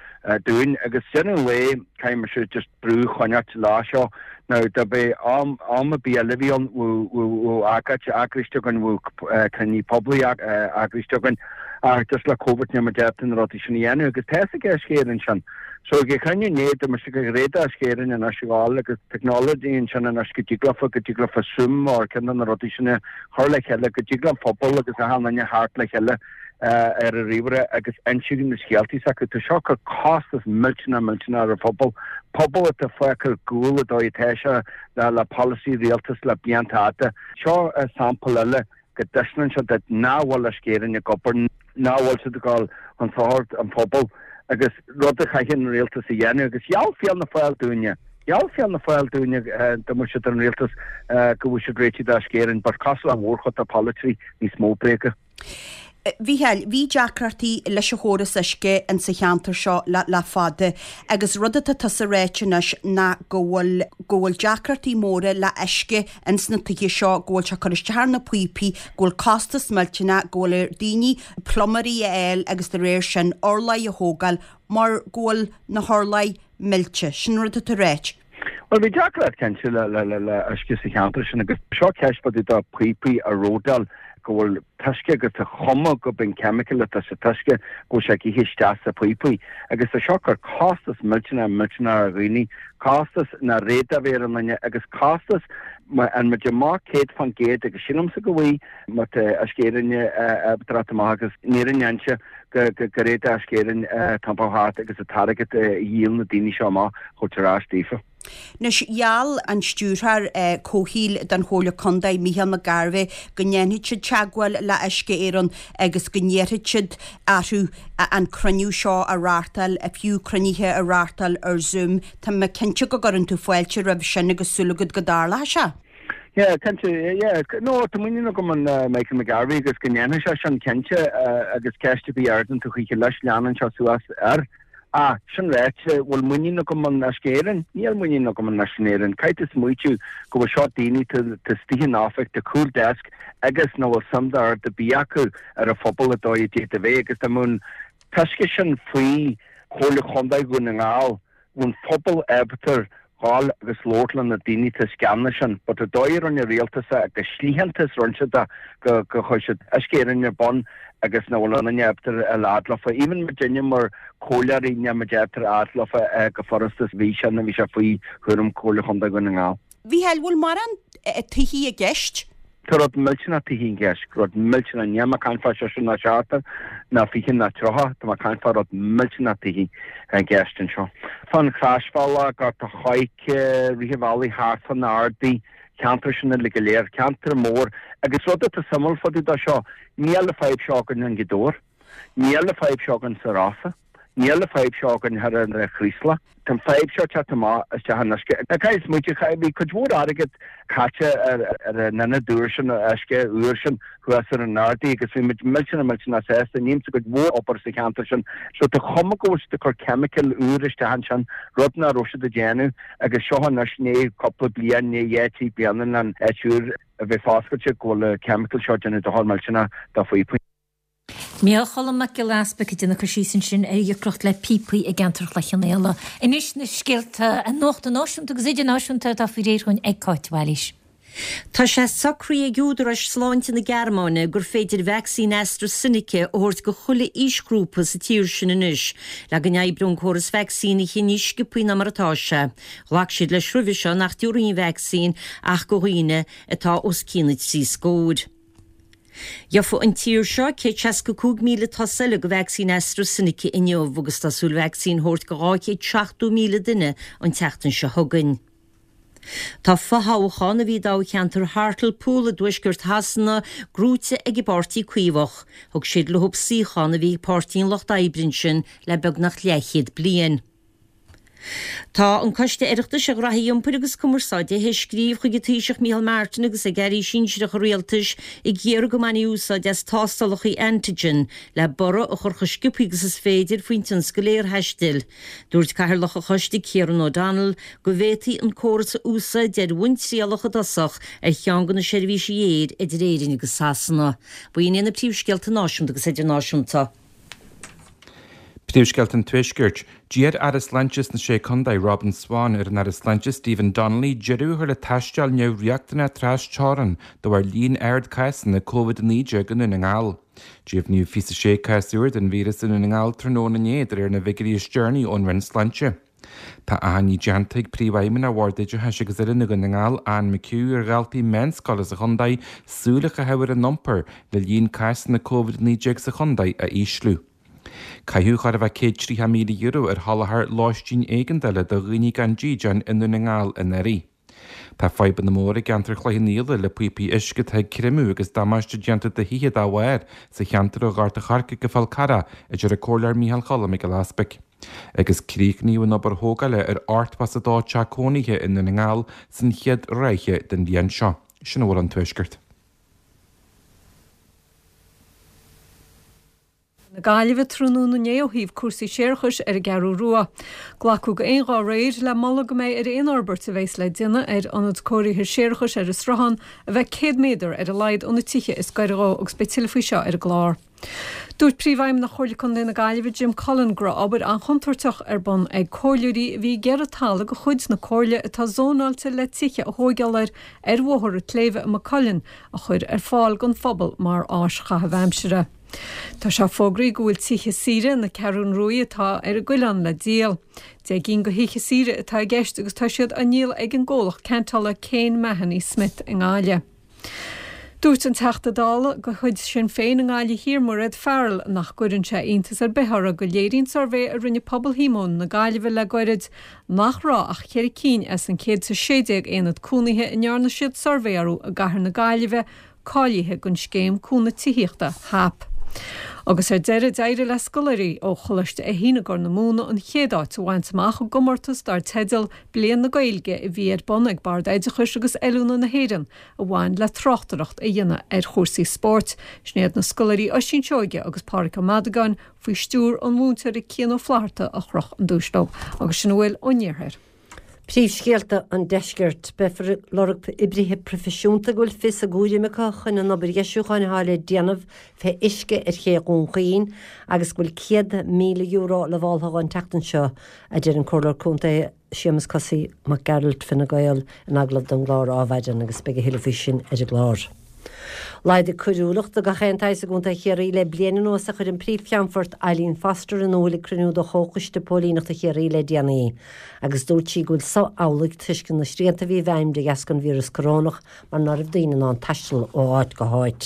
dúinn agus deireadh an lae caithfidh mise just brú a choinneáilt lá seo. Now dá mbeadh am am ar bith eile a bhí ann bheadh agóid eagraithe againn, bheadh cruinniú poiblí eagraithe againn ach just le Covid níl muid ábalta na rudaí sin a dhéanamh agus tá fhios ag Uisce Éireann sin. So ag an chruinniú inné dúirt mise gur ghréad Uisce Éireann anois a ghabháil agus technology ansin anois go dtig leofa go dtig leofa Zoom or ceann de na rudaí sin a chur le chéile go dtig le an phobal agus achan duine theacht le chéile ar an ríomhaire agus insint na scéaltaí s'acu. Tá seo ag cur costas millteanach millteanach ar an phobal, pobal atá fágtha ar gcúl an dóigh atá sé le le polasaí rialtais le blianta fhada. Seo sampla eile go dtaispeánann sé duit nach bhfuil Uisce Éireann ag obair, nach bhfuil siad ag dul chun sochair an phobail agus rud a chaithfidh an rialtas a dhéanamh agus gheall Fianna Fáil dúinne, gheall Fianna Fáil dúinne dá mbeadh siad ar an rialtas go bhfuil siad réitithe d'Uisce Éireann but cosúil le mórchuid de polaiteoirí níos mó bréaga. Mhícheáil, bhí deacrachtaí leis an chóras uisce in sa cheantar seo le le fada agus rud atá tusa ráite anois ná go bhfuil go bhfuil deacrachtaí móra le uisce ins na tithe seo, go bhfuil sé ag cur isteach ar na píopaí, go bhfuil costas millteanach, go bhfuil ar daoine pluiméirí a fháil agus de réir sin urláir a thógáil mar go bhfuil na hurláir millte. Sin rud atá ráite. Bhuel, bhí deacracht cinnte le uisce sa cheantar sin agus seo ceist fá dtaobh de píopaí a ródáil. go bhfuil t-uisce agus tá cuma gurb an chemical atá sa t-uisce go bhfuil sé ag ithe isteach sa phíopaí agus tá seo ag cur costas millteanach millteanach ar dhaoine, costas nach bhféadfadh a bheith ar an nduine agus costas má fhaigheann muid amach 100% agus sílimse go bhfaighidh má tá Uisce Éireann ag teacht amach agus ní fhéadfainnse go go bhféadfadh Uisce Éireann iompar thart agus an t-airgead a dhíol na daoine seo amach a thabhairt ar ais daofa. Anois, gheall an Stiúrthóir Comhshaoil don Chomhairle Contae, Mícheál Mac Gairbheith, go ndéanfaidh siad teagmháil le Uisce Éireann agus go n-iarrfaidh siad orthu an cruinniú seo a reáchtáil, fiú cruinnithe a reáchtáil ar Zoom. Tá mé cinnte go gcuireann tú fáilte roimh sin agus súil agat go dtarlóidh sé. Yeah, cinnte, yeah. No, tá muinín agam in Michael McGarvey agus go ndéanfaidh sé sin, cinnte, agus ceist ar bith a ardaíonn tú choíche leis, leanann sé suas air. Ach, sin ráite, bhfuil muinín agam in Uisce Éireann? Níl muinín agam in Uisce Éireann. Caithfidh tú smaoitiú go bhfuil seo daoine atá istigh in oifig, tá cúl desk agus nach bhfuil suim d'oiread ar bith acu ar an phobal an dóigh a d'fhéadfadh a bheith agus dá mbeadh an t-uisce sin faoi Chomhairle Chontae Dhún na nGall, bheadh an phobal ábalta ghabháil agus labhairt le na daoine atá sa gceannas sin. But an dóigh a rinne an rialtas é agus slítheántas a rinne siad é go go chuir siad Uisce Éireann ar bun agus nach bhfuil aon duine ábalta a fháil leofa. Even muidinne mar comhairleoirí níl muid ábalta a fháil leofa go furasta bhí sé nó bhí sé faoi chúram Comhairle Chontae Dhún na nGall. Mhícheáil, bhfuil mórán tithí i gceist? Tá rud millteanach tithí i gceist, rud millteanach, níl mé ag caint fá seisear ná seachtar ná 20 ná 30, tá mé ag caint fá rud millteanach tithí i gceist anseo. Fán Chroisbhealach, Gort a' Choirce, Rith an Bhealaigh thart fá na Ardaí, ceantar sin uilig go léir, ceantar mór. Agus rud atá suimiúil fá dtaobh de seo, níl an fadhb seo againn i nGaoth Dobhair, níl an fadhb seo againn sa Rosa. Níl an fadhb seo againn thoir ar an Chraoslach. Tá an fadhb seo ag teacht amach isteach in uisce. Caithfidh smaoitiú, bhí cuid mhór airgead caite ar an ionad úr sin, uisce úr sin thuas ar an Ardaí agus bhí muid millteanach millteanach sásta. Nímse cuid mhór obair sa cheantar sin. So tá cuma go bhfuil siad ag cur chemical úr isteach ansin, rud nach raibh siad ag déanamh agus seo anois i ndiaidh cúpla bliain, i ndiaidh dhá trí bliana an áit úr a bheith foscailte go bhfuil an chemical seo ag déanamh dochar millteanach do phíopaí. Micheál Cholm Mac Giolla Easpaig ag déanamh cur síos ansin ar dheacracht le píopaí i gceantar Chloich Cheann Fhaola. Anois na scéalta nuachta náisiúnta agus idirnáisiúnta atá faoi réir dhúinn ag Cáit Bhailís. Tá sé socraithe ag údaráis sláinte na Gearmáine gur féidir vacsaín AstraZeneca a thabhairt go chuile aoisghrúpa sa tír sin anois le go n-oibreoidh an córas vacsaínithe níos sciobthaí ná mar atá sé. Ghlac siad leis roimhe seo nach dtabharfaí an vacsaín ach go dhaoine atá os cionn na dtrí scóir. Gheofaidh an tír seo 165,000 dos eile de vacsaín AstraZeneca inniu agus tá súil vacsaín a thabhairt go 270,000 duine an tseachtain seo chugainn. Tá fothoghchán a bhí i dtoghcheantar Hartlepool i dtuaisceart Shasana gnóite ag an bPáirtí Caomhach. Thug siad leo suíochán a bhí ag Páirtí an Lucht Oibre ansin le beagnach leathchéad bliain. Tá an Coiste Oireachtais ar Ghraithí Iompair agus Cumarsáide théis scríobh chuig an Taoiseach Micheál Martin agus ag Airí sinsearacha Rialtais ag iarraidh go mbainfí úsáid as tástálacha antigen le borradh a chur chomh sciobtha agus is féidir faoin tionscal aerthaistil. Dúirt Cathaoirleach an Choiste Kieran O'Donnell go bhféadfaí an córas a úsáid ar bhonn trialach i dtosach ar cheann de na seirbhísí aeir idir Éirinn agus Sasana. B'in iad na príomhscéalta náisiúnta agus idirnáisiúnta. Príomhscéalta an Tuaiscirt. D'iarr Aire Sláinte sna Sé Contae, Robin Swann, ar an Aire Sláinte Stephen Donnelly deireadh a chur le taisteal neamhriachtanach tras-teorann de bharr líon ard cásanna Covid-19 i nDún na nGall. Deimhníodh 26 cás úr den víreas i Ndún na nGall tráthnóna inné de réir na bhfigiúirí is deireanaí ón Roinn Sláinte. Tá achainí déanta ag Príomhfheidhmeannach Bhord Oideachais agus Oiliúna Dhún na nGall, Anne McHugh, ar dhaltaí meánscoile sa chontae súil a chaitheamh ar a n-iompar le líon cásanna Covid-19 sa chontae a ísliú. Caitheadh chóir a bheith €130,000 ar sholáthar lóistín éigeandála do dhaoine gan dídean i nDún na nGall anuraidh. Tá fadhbanna móra i gceantar Chloich Cheann Fhaola le píopaí uisce atá ag creimeadh agus damáiste déanta do thithe dá bharr sa cheantar ó Ghort a' Choirce go Fál Carrach, a deir an Comhairleoir Micheál Cholm Mac Giolla Easpaig. Agus críochnaíodh an obair thógála ar 82 teach cónaithe i nDún na nGall san chéad ráithe den bhliain seo. Sin a bhfuil ón Tuaisceart. Na Gaillimhe tráthnóna inné ó thaobh cúrsaí séarachais ar an gCeathrú Rua. Glacadh go aon ghuth aréir le moladh go mbeidh ar aon fhorbairt a bheas le déanamh ar ionad cóirithe séarachais ar an Sruthán a bheith 100 méadar ar a laghad ó na tithe is gaire dhó agus beidh tuilleadh faoi seo ar an gclár. Dúirt Príomhfheidhmeannach Chomhairle Contae na Gaillimhe Jim Cullen go raibh obair an-chontúirteach ar bun ag comhairleoirí a bhí ag iarraidh talamh de chuid na comhairle atá zónáilte le tithe a thóigeáil air ar Bhóthar an tSléibhe i Maigh Cuilinn a chur ar fáil don phobal mar áis chaitheamh aimsire. Tá sé fógraithe go bhfuil tithe saoire na Ceathrún Ruaidh atá ar an gCuileán le díol. 10 gcinn de thithe saoire atá i gceist agus tá siad á ndíol ag an gcomhlacht ceantála Kane Mahony Smith i nGaillimh. Dúirt an Teachta Dála de chuid Sinn Féin i nGaillimh Thiar, Mairéad Farrell, nach gcuireann sé iontas ar bith uirthi go léiríonn suirbhé a rinne Pobal Shíomóin na Gaillimhe le goirid nach raibh ach cheithre cinn as an 116 aonad cónaithe a ndearna siad suirbhé orthu i gcathair na Gaillimhe cáilithe don Scéim Cúnamh Tithíochta, HAP. Agus ar deireadh, d'éirigh le scoláirí ó Choláiste Fheichín i gCorr na Móna an chéad áit a bhaint amach i gcomórtas dar teideal Bliain na Gaeilge a bhí ar bun ag Bord Oideachais agus Oiliúna na hÉireann a bhain le tráchtaireacht a dhéanamh ar chúrsaí spóirt. Sin iad na scoláirí Oisín Seoige agus Pádhraic Ó Madagáin faoi stiúr an mhúinteora Cian Ó Flaithearta a chroch an duais leo. Agus sin a bhfuil ón iarthar. Príomhscéalta an Deiscirt. Beifear ag lorg oibrithe proifisiúnta go bhfuil fios a gcúraim acu chun an obair dheisiúcháin atá le déanamh fé uisce ar ché Dhún Chaoin agus go bhfuil €100,000 lamháltha an tseachtain seo a deir an Comhairleoir Contae Séamus Kosaí Mac Gearailt, Fine Gael, in agallamh don gclár Adhmhaidin agus beidh a thuilleadh faoi sin ar an gclár. Laghdaigh coiriúlacht de gach aon tsaghas i gContae Chiarraí le bliain anuas a chuir an Príomh-Cheannfort Eileen Foster in iúil ag cruinniú de Chomhchoiste Póilíneachta Chiarraí le déanaí agus dúirt sí go bhfuil so amhlaidh toisc na srianta a bhí i bhfeidhm de dheasca an víreas corónach mar ná raibh daoine in ann taisteal ó áit go háit.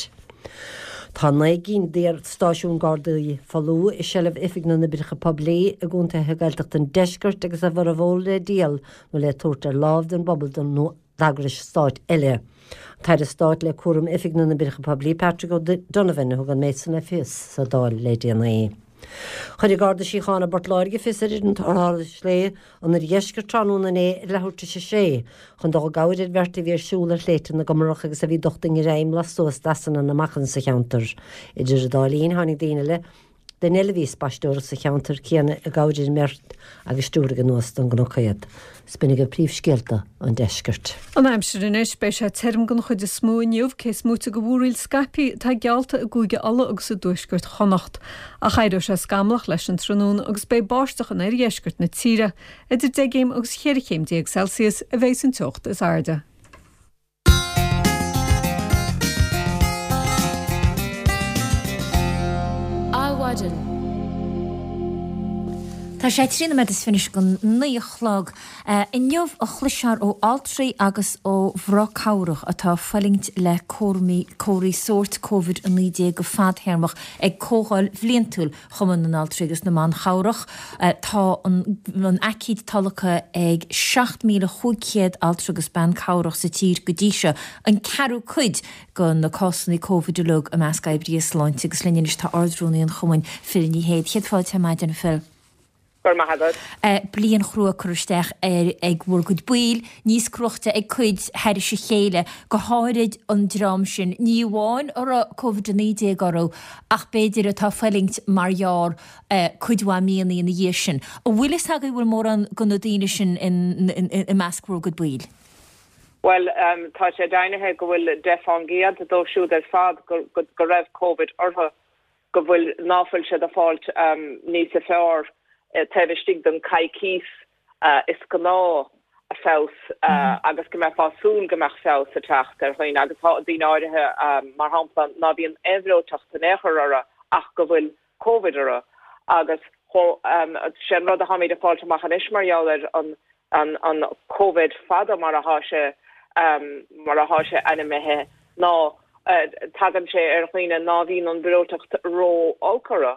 Tá 9 gcinn d'iar-stáisiúin Gardaí folamh i seilbh Oifig na nOibreacha Poiblí i gcontaetha Gaeltachta an deiscirt agus a bhformhór le díol nó le tabhairt ar láimh don bpobal nó d'eagrais stáit eile. An tAire Stáit le cúram Oifig na nOibreacha Poiblí, Patrick O'Donovan, a thug an méid san le fios sa Dáil le déanaí. Chuir an Garda Síochána i bPort Láirge fios ar fhoireann tarrthála sléibhe an Oirdheiscirt tráthnóna inné ar leathuair tar éis a sé chun dul i gcabhair ar bheirt a bhí ar siúl ar shléibhte na gComarach agus a bhí docht i ngreim lastuas d'easanna na machain sa cheantar. Idir an dá linn tháinig daoine eile duine eile a bhí ag spaisteoireacht sa cheantar céanna i gcabhair ar an mbeirt agus stiúraigh anuas don gcnoc iad. 'S b'in agaibh príomhscéalta an deiscirt. An aimsir anois, beidh sé tirim den chuid is mó inniu, cé is móite de mhúraíl scaipthe atá geallta i gCúige Uladh agus i dtuaisceart Chonnacht. Ach éireoidh sé scamallach leis an tráthnóna agus beidh báisteach in oirdheisceart na tíre. Idir 10 gcéim agus 14 chéim Celsius a bheidh san teocht is airde. Adhmhaidin. Tá sé 13 nóiméad is fiche don 9 a chlog. Inniu a chloisfear ó altraí agus ó mhná cabhrach atá ag fulaingt le comharthaí sóirt Covid-19 go fadtéarmach ag comhdháil bhliantúil Chumann na nAltraí agus na mBan Chabhrach. Tá an aicíd tolgtha ag 7,500 altra agus bean cabhrach sa tír go dtí seo, an ceathrú cuid de na cásanna Covid uilig i measc oibrithe sláinte agus linn anois tá Ard-Rúnaí an Chumainn, Phil Ní Sheaghdha. Céad fáilte ar maidin, a Phil. Go raibh maith agat. Bliain chrua curtha isteach ar ag bhur gcuid baill, níos cruaichte ag cuid thairis a chéile, go háirid an dream sin, ní amháin a raibh Covid-19 orthu ach b'fhéidir atá ag fulaingt mar gheall cuid mhaith míonna ina dhiaidh sin. An bhfuil fhios agaibh an bhfuil mórán de na daoine sin i measc bhur gcuid baill? Bhuel, tá sé deimhnithe go bhfuil 10% dóibh siúd ar fad go raibh Covid orthu. go bhfuil, ná fuil siad ag fáilt níosa fearr taobh istigh den coicíos is gnáth feabhas agus go mbeifeá súil go mbeadh feabhas ag teacht ar dhaoine agus tá daoine áirithe mar shampla ná bíonn aon bhreoiteacht in aon chor orthu ach go bhfuil Covid orthu agus sé an rud a tháimid ag fáilt amach anois mar gheall ar an an Covid fada mar athá sé mar athá sé ainmnithe ná tagann sé ar dhaoine ná bhíonn an bhreoiteacht ró-olc orthu,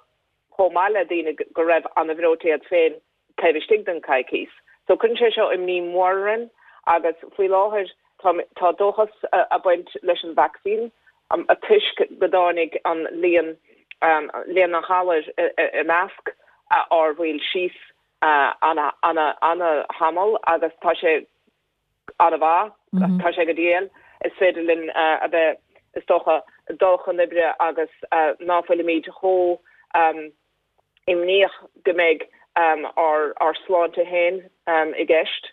chomh maith le daoine go raibh ana bhreoite iad féin taobh istigh den coicís. So cuireann sé seo imní mhór orainn agus faoi láthair tá tá dóchas a' baint leis an vacsaín toisc go dtáinig an líon líon an ghalair i measc ár bhaill síos ana-thamall agus tá sé an-mhaith, tá sé go diail. Is féidir linn a bheith, is dócha, dul chun oibre agus ná fuilimid chomh imníoch go mbeidh ár sláinte féin i gceist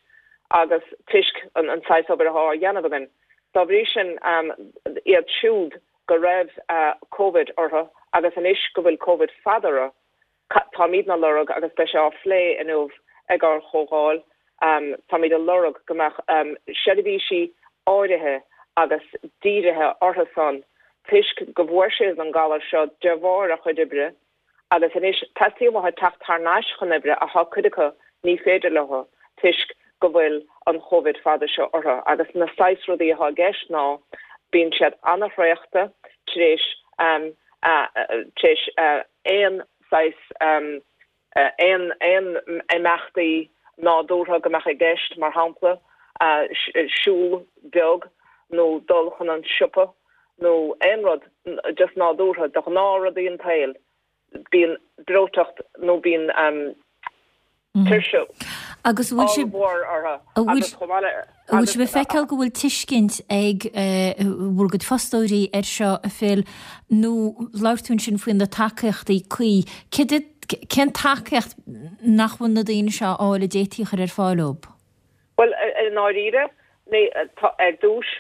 agus toisc an saghas obair atá á dhéanamh againn. Dá bhrí sin, iad siúd go raibh Covid orthu. Agus anois go bhfuil Covid fada orthu, táimidne ag lorg, agus beidh sé á phlé inniu ag ár chomhdháil, táimid ag lorg go mbeadh seirbhísí áirithe agus dírithe orthu san toisc go bhfuair siad an galar seo de bharr a chuid oibre agus anois teastaíonn uathu teacht thar n-ais chun oibre ach tá cuid acu ní féidir leo toisc go bhfuil an Chóivid fada seo orthu agus na saghas rudaí atá i gceist ná bíonn siad ana-thraochta tar éis tar éis aon saghas aon aon imeachtaí nádúrtha go mbeadh i gceist mar shampla siúl beag nó dul chun an siopa nó aon rud just nádúrtha, de ghnáthrudaí an tsaoil, bíonn breoiteacht nó bíonn tuirse Agus an bhfuil sibh, ollmhór orthu an bhfuil, agus chomh maith le, an bhfuil agus. sibh ag feiceáil go bhfuil tuiscint ag bhur gcuid fostóirí air seo, a Phil, nó labhair tú ansin faoi na tacaíochtaí cuí, céard iad, cén tacaíocht nach bhfuil na daoine seo a fháil a d'fhéadfaí a chur ar fáil dóibh? Bhuel, i ndáiríre, ní, tá, ar dtús,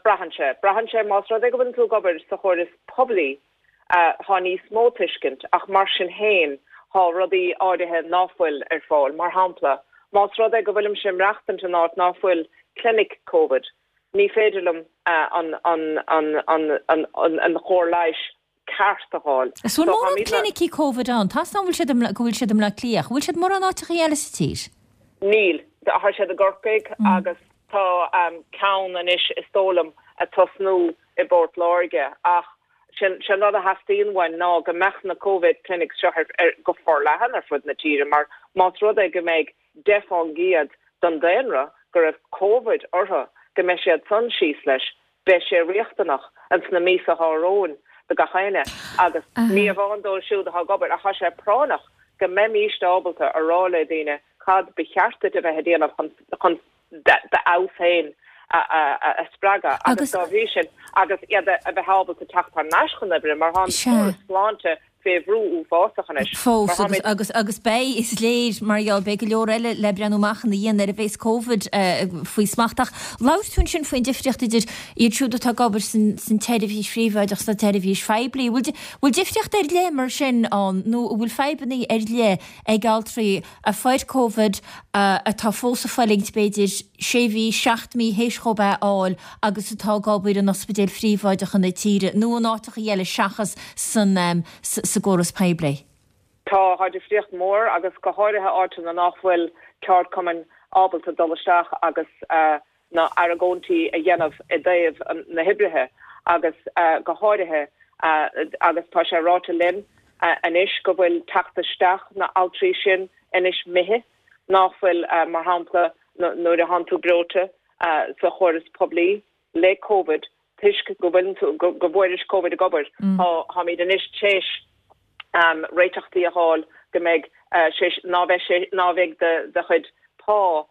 braitheann sé. Braitheann sé más rud é go bhfuileann tú ag obair sa chóras poiblí, tá níos mó tuiscint, ach mar sin féin, tá rudaí áirithe ná fuil ar fáil. Mar shampla, más rud é go bhfuilimse ag maireachtaint in áit ná fuil clinic Covid, ní féidir liom an, an, an, an, an, an, an chóir leighis ceart a fháil. Is bhfuil mórán clinicí Covid ann? Tá's agam go bhfuil siad i go bhfuil siad i mBleá Cliath. Bhfuil siad mórán áiteachaí eile sa tír? Níl. Tá siad i gCorcaigh agus tá ceann anois is dóigh liom ag tosnú i bPort Láirge ach sin an rud a theastaíonn uainn ná go mbeadh na Covid clinics seo ar go forleathan ar fud na tíre mar más rud é go mbeidh 10% den daonra go raibh Covid orthu go mbeidh siad san síos leis Beidh sé riachtanach ins na míosa atá romhainn do gach éinne agus ní amháin dóibh siúd atá ag obair ach tá sé práinneach go mbeimíst ábalta a rá le daoine cad ba cheart duit a bheith ag déanamh chun chun d'fheabhas féin a spreagadh agus dá bhrí sin agus iad a bheith ábalta teacht thar n-ais chun oibre mar tá an córas sláinte fé bhrú uafásach anois. Fós, agus, agus, agus beidh, is léir, mar gheall, beidh go leor eile le breathnú amach ina dhiaidh nuair a bheas Covid faoi smacht. Ach labhair tú ansin faoin difríocht idir iad siúd atá ag obair san, san tseirbhís phríobháideach sa tseirbhís phoiblí. Bhfuil, bhfuil difríocht ar leith mar sin ann nó an bhfuil fadhbanna ar leith ag altraí a fuair Covid atá fós ag fulaingt b'fhéidir sé mhí, 7 mí théis dhóibh é a fháil agus atá ag obair in ospidéil phríobháideacha na tíre nó in áiteacha eile seachas san sa gcóras poiblí. Tá, tá difríocht mór agus go háirithe áiteanna nach bhfuil ceardchumainn ábalta dul isteach agus na argóintí a dhéanamh i dtaobh na hoibrithe agus go háirithe agus tá sé ráite linn anois go bhfuil teacht isteach na altraí sin anois imithe nach bhfuil mar shampla nuair a thánn tú breoite sa chóras poiblí le Covid toisc go bhfuileann tú, go bhfuairis Covid ag obair, táimid anois tar éis réiteachtaí a fháil go mbeidh sé, ná bheidh sé, ná bheidh do chuid pá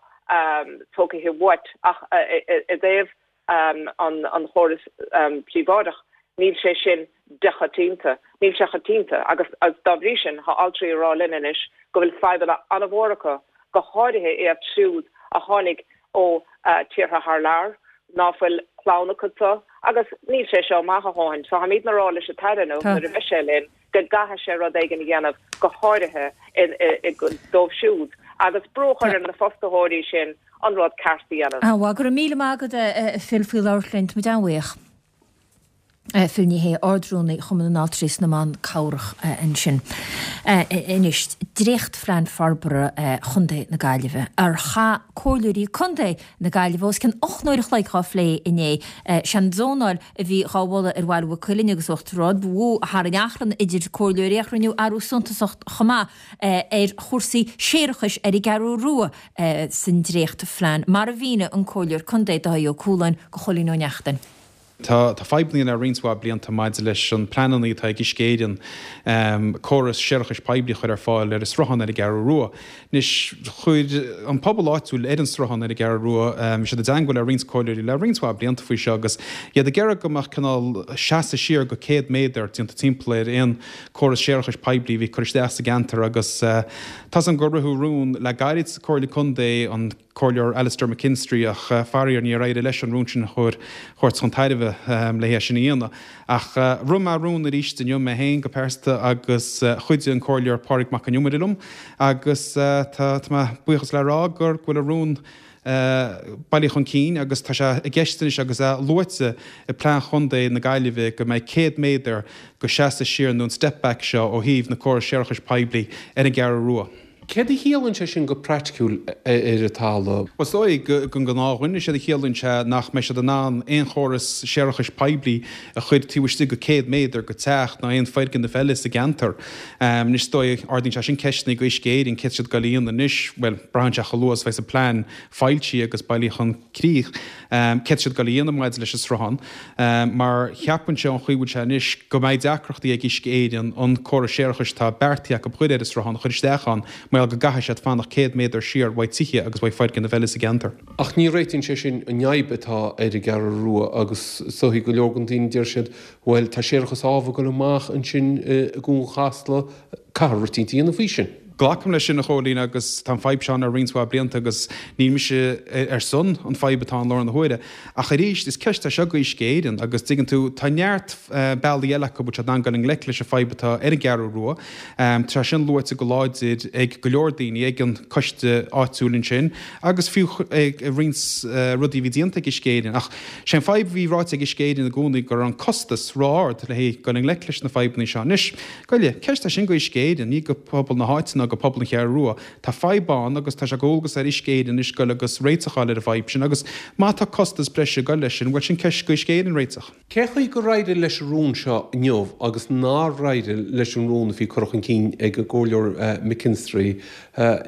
tógtha uait ach i dtaobh an chóras príobháideach, níl sé sin de-choitianta, níl sé coitianta agus dá bhrí sin tá altraí ag rá linn anois go bhfuil fadhbanna an-mhór acu, go háirithe iad siúd a tháinig ó tíortha thar lear, ná fuil clann acu so, agus níl sé seo maith a dhóthain. So táimidne ag rá leis an tAire inniu, nuair a bheidh sé linn, go gcaithfidh sé rud éigin a dhéanamh, go háirithe dóibh siúd, agus brú a chur ar na fostaitheoirí sin an rud ceart a dhéanamh. An-mhaith. Go raibh míle maith agat, a Phil, faoi labhairt linn. Tá muid an-bhuíoch. Phil Ní Sheaghdha, Ard-Rúnaí Chumann na nAltraí is na mBan Cabhrach ansin. Anois, dréachtphlean forbartha Chontae na Gaillimhe, ar chaith comhairleoirí contae na Gaillimhe os cionn 8 n-uair a chloig dhá phlé inné. Sé an zónáil a bhí dhá mholadh ar Bhaile Mhaigh Cuilinn agus Uachtar Ard ba mhó a tharraing achrann idir comhairleoirí ach rinneadh athrú suntasach chomh maith ar chúrsaí séarachais ar an gCeathrú Rua san dréachtphlean, mar a mhínigh an Comhairleoir Contae Dáithí Ó Cualáin do Chóilín Ó Neachtain. Tá fadhbanna ann le roinnt mhaith blianta maidir leis an pleananna atá ag Uisce Éireann córas séarachais poiblí a chur ar fáil ar an sruthán ar an gCeathrú Rua. Anois, chuir an pobal áitiúil ar an sruthán ar an gCeathrú Rua, bhí siad i dteangmháil le roinnt comhairleoirí le roinnt mhaith blianta faoi seo agus iad ag iarraidh go mbeadh cineál seasamh siar go 100 méadar déanta timpeall ar aon córas séarachais poiblí a bhí ag cur isteach sa gceantar agus tá's agam gur ritheadh rún le gairid sa Comhairle Contae an. Comhairleoir Alastair McKinstry ach faraor níor éirigh leis an rún sin a thabhairt chun tairbhe le é sin a dhéanamh. Ach rith mé rún arís inniu mé féin go pearsanta agus chuidigh an Comhairleoir Pádraig Mac Con Iomaire liom agus tá mé buíochas le rá gur go bhfuil an rún bailithe chun cinn agus tá sé i gceist anois agus é luaite i bPlean Chontae na Gaillimhe go mbeidh 100 méadar go seasamh siar nó an step back seo ó thaobh na córais séarachais poiblí ar an gCeathrú Rua. Céard a chiallaíonn sé sin go praiticiúil ar an talamh? Bhuel, is dóigh don ghnáthdhuine, séard a chiallaíonn sé nach mbeidh siad in ann aon chóras séarachais poiblí a chur taobh istigh de 100 méadar de teach ná aon foirgneamh eile sa gceantar. Anois, is dóigh, ardaíonn sé sin ceisteanna do Uisce Éireann, céard tá siad ag goil a dhéanamh anois? Bhuel, braitheann sé chomh luath is a bheas an plean foilsithe agus bailithe chun críche. Céard tá siad ag goil a dhéanamh maidir leis an sruthán? Mar cheapfainnse ón chaoi a bhfuil sé anois go mbeidh deacrachtaí ag Uisce Éireann an córas séarachais atá beartaithe acu a chur ar an sruthán a chur isteach ann mar gheall go gcaithfidh siad fanacht 100 méadar siar uaidh tithe agus uaidh foirgnimh eile sa gceantar. Ach ní réitíonn sé sin an fhadhb atá ar an gCeathrú Rua agus is dóichí go leor den daoine deir siad bhuel tá séarachas ábh ag dul amach ansin i gCuan Chasla, caithfear rud éicint a dhéanamh faoi sin. Glacaim leis sin, a Chóilín, agus tá an fadhb seo ann le roinnt mhaith blianta agus níl mise ar son an fadhb atá ann i láthair na huaire. Ach arís, is ceist é seo do Uisce Éireann agus, dtuigeann tú, tá neart bealaí eile acu bhfuil siad in ann dul i ngleic leis an fadhb atá ar an gCeathrú Rua. Tá sé sin luaite go láidir ag go leor daoine, ag an coiste áitiúil ansin agus fiú ag roinnt rudaí a bhí déanta ag Uisce Éireann. Ach sé an fadhb a bhí ráite ag Uisce Éireann i gcónaí go raibh an costas ró-ard le haghaidh dul i ngleic leis na fadhbanna seo. Anois, Goile, ceist é sin do Uisce Éireann, ní go pobal na háite ná go pobal an Cheathrú Rua. Tá fadhb ann agus tá sé dhualgas ar Uisce Éireann anois goil agus réiteach a fháil ar an bhfadhb sin agus má tá costas breise ag goil leis sin, bhuel sin ceist do Uisce Éireann réiteach. Cé chaoi gur éirigh leis an rún seo inniu agus nár éirigh leis an rún a bhí curtha chun cinn ag an gComhairleoir McKinstry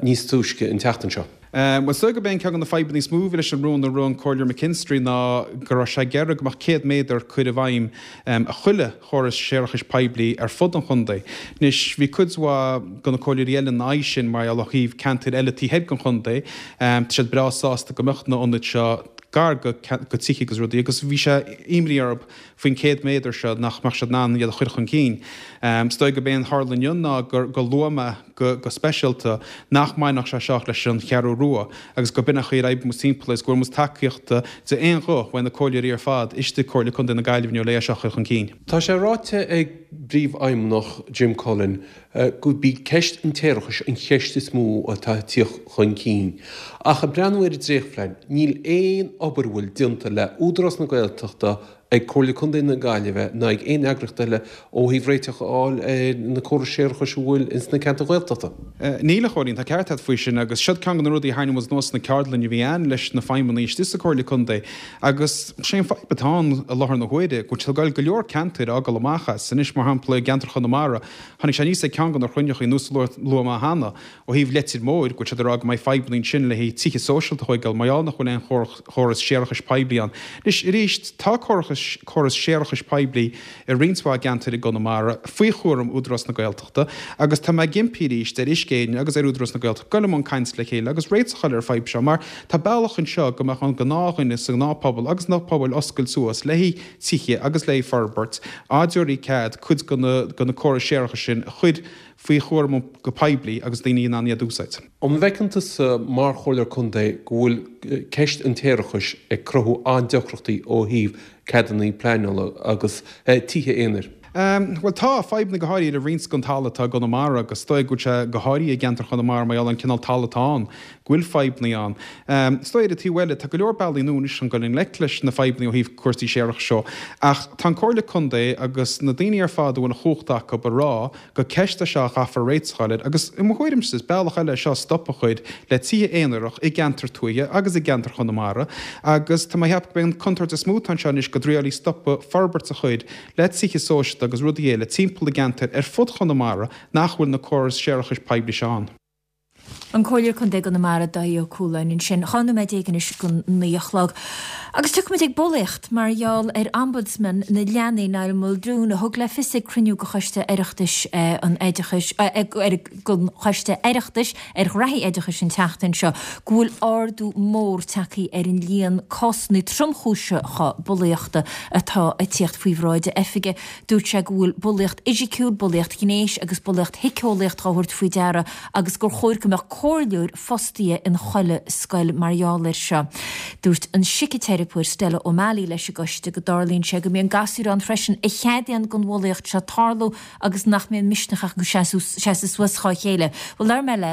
níos túisce an tseachtain seo? Bhuel, is dóigh gurb é an ceann de na fadhbanna is mó a bhí leis an rún a rith an Comhairleoir McKinstry ná go raibh sé ag iarraidh go mbeadh 100 méadar curtha i bhfeidhm a chuile chóras séarachais poiblí ar fud an chontae. Anois, bhí cuid mhaith de na comhairleoirí eile ina aghaidh sin mar gheall ó thaobh ceantair eile taobh thoir den chontae. Tá siad breá sásta go mbeadh na hionaid seo gar go tithe agus rudaí agus bhí sé imní orthu faoin 100 méadar seo nach mbeadh siad in ann iad a chur chun cinn. Is dóigh gurb é an tharla inniu ná gur luaigh mé go speisialta nach mbainfeadh sé seo leis an Cheathrú Rua agus go b'in an chaoi ar oibrigh muid timpeall is go bhfuair muid tacaíocht d'aon ghuth uaidh na comhairleoirí ar fad istigh i Comhairle Contae na Gaillimhe inniu le é seo a chur chun cinn. Tá sé ráite ag bPríomhfheidhmeannach Jim Cullen gurb í ceist an tséarachais an cheist is mó atá ag tíocht chun cinn. Ach ag breathnú ar an dréachtphlean, níl aon obair a bhfuil déanta le Údarás na Gaeltachta ag Comhairle Contae na Gaillimhe ná ag aon eagraíocht eile ó thaobh réiteach a fháil ar na córais séarachais a bhfuil ins na ceantair Ghaeltachta. Níl, a Chóilín, tá ceart agat faoi sin agus siod ceann de na rudaí a tharraing muid anuas sna ceardlainn a bhí ann leis na feidhmeannaigh istigh sa Comhairle Contae agus sé an fadhb atá ann i láthair na huaire go bhfuil go leor ceantair á gabháil amach as. Anois, mar shampla, i gceantar Chonamara, tháinig sé aníos ag ceann de na cruinnithe nós a luaigh mé cheana, Ó thaobh Leitir Móir, go bhfuil siad ag rá go mbeidh fadhbanna ansin le haghaidh tithe sóisialta a thóigeáil mar gheall nach bhfuil aon chóras séarachais poiblí ann. Anois, arís, tá córas séarachais poiblí i roinnt mhaith gceantair i gConamara faoi chúram Údarás na Gaeltachta agus tá mé ag impí arís ar Uisce Éireann agus ar Údarás na Gaeltachta goil i mbun cainte le chéile agus réiteach a fháil ar an fadhb seo mar tá bealach anseo go mbeadh an gnáthdhuine sa ghnáthphobal agus na pobail oscailt suas le haghaidh tithe agus le haghaidh forbairt dá dtabharfaí cead cuid de na córais séarachais sin a chur faoi chúram go poiblí agus daoine in ann iad a úsáid. An bhfeiceann tusa mar Chomhairleoir Contae go bhfuil ceist an tséarachais ag cruthú an-deacrachtaí ó thaobh ceadanna pleanála agus tithe aonair? Bhuel tá, fadhbanna go háirithe le roinnt den talamh atá i gConamara agus is dóigh go bhfuil sé go háirithe i gceantar Chonamara mar gheall ar an cineál talamh atá ann, go bhfuil fadhbanna ann. Is dóigh ar an taobh eile, tá go leor bealaí nua anois chun dul i ngleic leis na fadhbanna ó thaobh cúrsaí séarachais seo ach tá an Comhairle Contae agus na daoine ar fad a bhfuil an chumhacht acu ag rá gur ceist é seo a chaithfear réiteach a fháil air agus i mo thuairimse is bealach eile é seo stop a chur le tithe aonarach i gceantar tuaithe agus i gceantar Chonamara agus tá mé ag ceapadh gurb é an contúirt is mó atá anseo anois go dtriailfí stopadh forbairt a chur le tithe sóisialta agus rudaí eile timpeall i gceantair ar fud Chonamara nach bhfuil na córais séarachais poiblí seo ann. An Comhairleoir Contae i gConamara, Dáithí Ó Cualáin ansin. 12 nóiméad anois don 9 a chlog. Agus tiocfaimid ag bulaíocht mar gheall ar Ombudsman na Leanaí, Niall Muldoon, a thug le fios ag cruinniú de Choiste Oireachtais an Oideachais, den Choiste Oireachtais ar Ghraithí Oideachais an tseachtain seo go bhfuil ardú mór tagtha ar an líon cásanna tromchúiseacha bulaíochta atá ag tíocht faoi bhráid a oifige. Dúirt sé go bhfuil bulaíocht fhisiciúil, bulaíocht ghnéis agus bulaíocht shíceolaíocht á thabhairt faoi deara agus gur chóir go mbeadh comhairleoir fostaithe in chuile scoil mar gheall air seo. Dúirt an siciteiripeoir Stella O'Malley leis an gcoiste go dtarlaíonn sé go mbíonn gasúir ann freisin a cheadaíonn don bhulaíocht seo tarlú agus nach mbíonn misneach acu seasamh suas dhá chéile. Bhuel, labhair mé le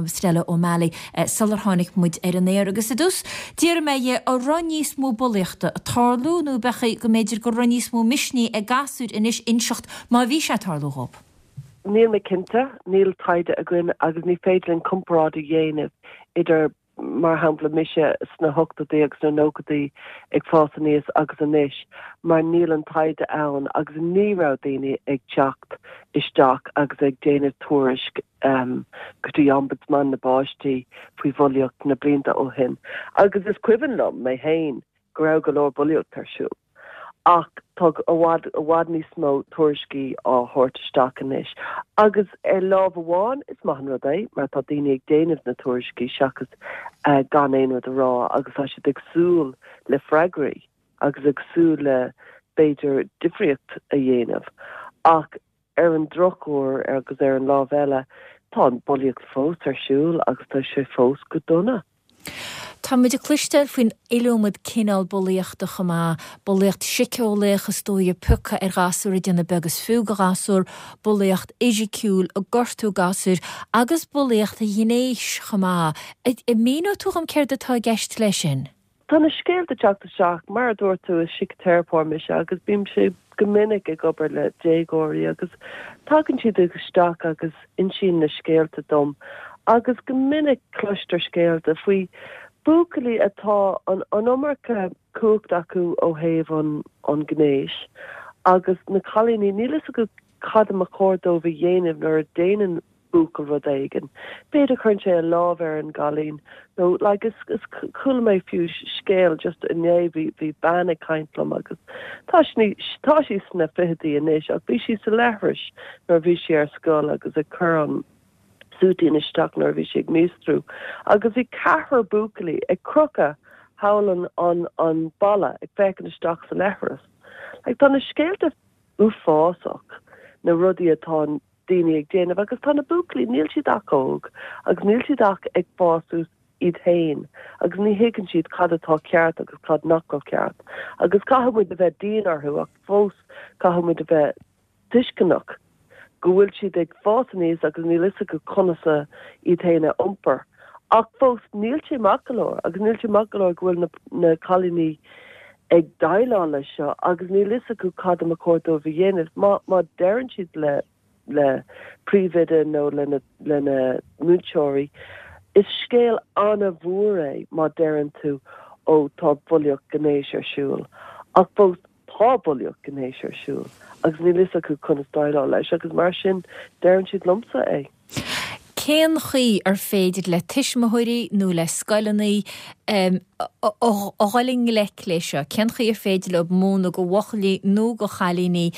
Stella O'Malley sular tháinig muid ar an aer agus i dtús d'fhiafraigh mé dhi an raibh níos mó bulaíochta ag tarlú nó ab é go mb'fhéidir go raibh níos mó misnigh ag gasúir anois inseacht má bhí sé ag tarlú dhóibh. Níl mé cinnte, níl taighde againn agus ní féidir linn comparáid a dhéanamh idir, mar shampla, mise sna hochtóidí agus sna nóchaidí ag fás aníos agus anois, mar níl an taighde ann agus ní raibh daoine ag teacht isteach agus ag déanamh tuairisc go dtí Ombudsman na bPáistí faoi bhulaíocht na blianta ó shin. Agus is cuimhin liom, mé féin, go raibh go leor bulaíocht ar siúl. Ach tá i bhfad, i bhfad níos mó tuairiscí á thabhairt isteach anois. Agus ar lámh amháin, is maith an rud é, mar tá daoine ag déanamh na tuairiscí seachas gan aon rud a rá agus tá siad ag súil le freagraí agus ag súil le, b'fhéidir, difríocht a dhéanamh. Ach ar an drochuair agus ar an lámh eile, tá an bulaíocht fós ar siúl agus tá sé fós go dona. Tá muid ag cloisteáil faoin iliomad cineál bulaíochta chomh maith, bulaíocht siceolaíoch is dóigh ag piocadh ar ghasúr ag déanamh beag is fiú de ghasúr, bulaíocht fhisiciúil ag gortú gasúir agus bulaíocht ghnéis chomh maith. An míneoidh tú dhom céard atá i gceist leis sin? Tá na scéalta ag teacht isteach, mar a dúirt tú, is síciteiripeoir mise agus bímse go minic ag obair le déagóirí agus tagann siad isteach agus insíonn na scéalta dom agus go minic cloistear scéalta faoi buachaillí atá an an iomarca cumhacht acu ó thaobh an an gnéis agus na cailíní níl fhios acu cad a mba chóir dóibh a dhéanamh nuair a déanann buachaill rud éigin. B'fhéidir cuireann sé a lámh ar an gcailín nó like is is chuala mé fiú scéal just inné bhí bhí bean ag caint liom agus tá sí tá sí sna fichidí anois ach bhí sí sa leithris nuair a bhí sí ar scoil agus ag cur an súitín isteach nuair a bhí sí ag míostrú agus bhí ceathrar buachaillí ag crochadh thall an an an balla ag féachaint isteach sa leithreas. Like tá na scéalta uafásach na rudaí atá daoine ag déanamh agus tá na buachaillí, níl siad ach óg agus níl siad ach ag fás suas iad féin agus ní thuigeann siad cad atá ceart agus cad nach bhfuil ceart agus caithfidh muid a bheith dian orthu ach fós caithfidh muid a bheith tuisceanach go bhfuil siad ag fás aníos agus níl fhios acu conas a iad féin a iompar. Ach fós níl sé maith go leor agus níl sé maith go leor go bhfuil na na cailíní ag déileáil leis seo agus níl fhios acu cad a mba chóir dóibh a dhéanamh. Má má deireann siad le le príomhoide nó lena lena múinteoirí, is scéal an-mhór é má deireann tú ó tá bulaíocht gnéis ar siúl. Ach fós tá bulaíocht gnéis ar siúl agus níl fhios acu conas déileáil leis agus mar sin deireann siad liomsa é. Cén chaoi ar féidir le tuismitheoirí nó le scoileanna a dhul i ngleic leis seo? Cén chaoi ar féidir leo múineadh do bhuachaillí nó do chailíní